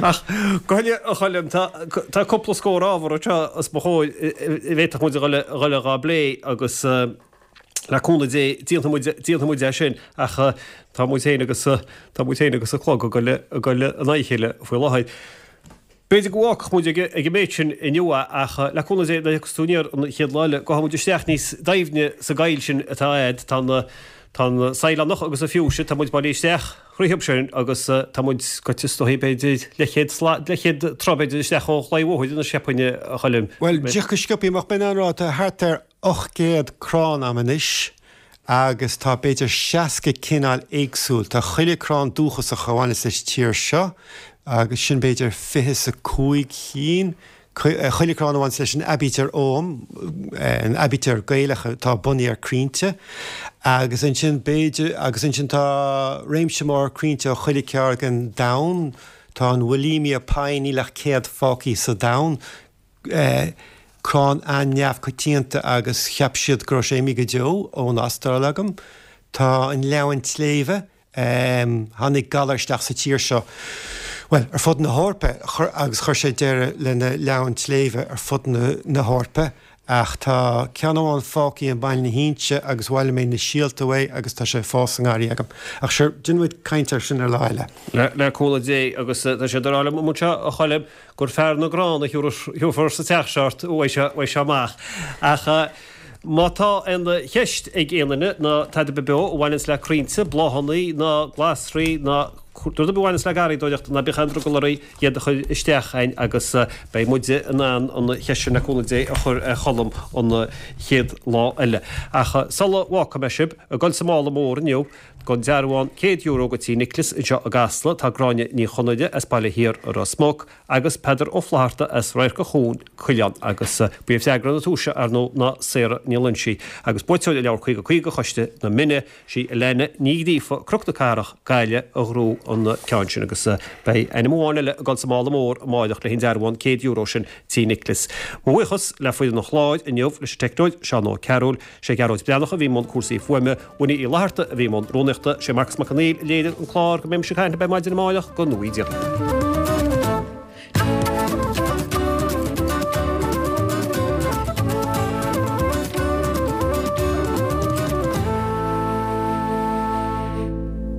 Ach go huile, a Choilm, tá, tá cúpla scór ábhar anseo os mo chomhair a bhféadfadh muid a dhul, a dhul dhá bplé agus le cúnamh Dé déanfaidh muid, déanfaidh muid é sin ach tá muid féin agus, tá muid féin agus an clog ag dul, ag dul in aghaidh a chéile faoi láthair. B'fhéidir go bhfágfadh muid ag an méid sin inniu é ach le cúnamh Dé nuair a thiocfas tú aniar an chéad lá eile gabhfaidh muid isteach níos doimhne sa gcoill sin atá a'd. Tá na. Tá an saighleánach agus an fuchsia, tá muid bailithe isteach thríothub sin agus tá muid goite is dóichí b'fhéidir leathchéad slat, leathchéad troigh b'fhéidir isteach ó chlaí bhóthair anois cheapfainn a Choilm. Bhuel, díreach go sciobthaí amach, b'in an rud, tá thart ar 800 crann a'm anois agus tá b'fhéidir 60 cineál éagsúil. Tá chuile crann dúchasach a bhaineas leis tír seo agus sin b'fhéidir fiche 's a cúig chinn. Chuile crann a bhaineas leis an aibítir Ogham, an aibítir Gaelach atá bunaithe ar crainnte, agus ansin b'fhéidir, agus ansin tá réimse mór crainnte ó chuile ceard den domhan. Tá an Wollemia Pine, níl ach 100 fágthaí sa domhan, crann an-neamhchoitianta agus cheap siad go raibh sé imithe go deo ón Astráil agam. Tá an leamhan tsléibhe, Tháinig galar isteach sa tír seo, bhuel, ar fud na hEorpa, agus chuir sé deireadh le na leamhain tsléibhe ar fud na hEorpa, ach tá ceann amháin fágtha i mBaile na hInse agus bhailigh mé na síolta uaidh agus tá sé ag fás sa ngarraí agam. Ach sure, déanfaidh muid caint air sin ar lá eile. Le cúnamh Dé, agus tá siad ag rá liom anseo, a Choilm, gur fear na gcrann a thiúrfar sa teach seo ort uaidh seo amach. Ach má tá aon cheist ag aon duine ná tada ar bith beo a bhaineanns le crainnte, bláthanna ná glasraí ná rud ar bith a bhaineanns le garraíodóireacht, ná bíodh aon drogall oraibh iad a chur isteach a'inn agus beidh muide in ann an cheist sin le cúnamh Dé a chur ar Cholm an chéad lá eile. Ach sula bhfágfaidh mé sibh, ag dul sa mála mór inniu, Don dearbhán €100 go Tí Nicholas anseo i gCasla tá Gráinne Ní Chonaire as Baile Thiar i Ros Muc agus Peadar Ó Flatharta as Radharc an Chuain, Coileán agus ba í freagra na tomhaise ar ndóigh ná Sarah Ní Loinsigh agus buaiteoir an leabhar 50 50 Choiste na Mine, sí Alana Ní Ghríofa, Cnoc na Cathrach, Gaillimh a ghnóthaigh an ceann sin agus beidh ainm amháin eile ag dul sa mála mór amáireach le an dearbhán €100 sin Tí Nicholas. Mo bhuíochas le foireann an chláir inniu leis an teicneoir Seán Ó Cearúil, sé Gearóid Breathnach a bhí i mbun cúrsaí fuaime, Winnie Uí Fhlatharta a bhí i mbun rúnaíochta, sé Marcus Mac Conghail a léirigh an clár go mbeidh mise ag caint libh ar maidin amáireach go ngnóthaí Dia.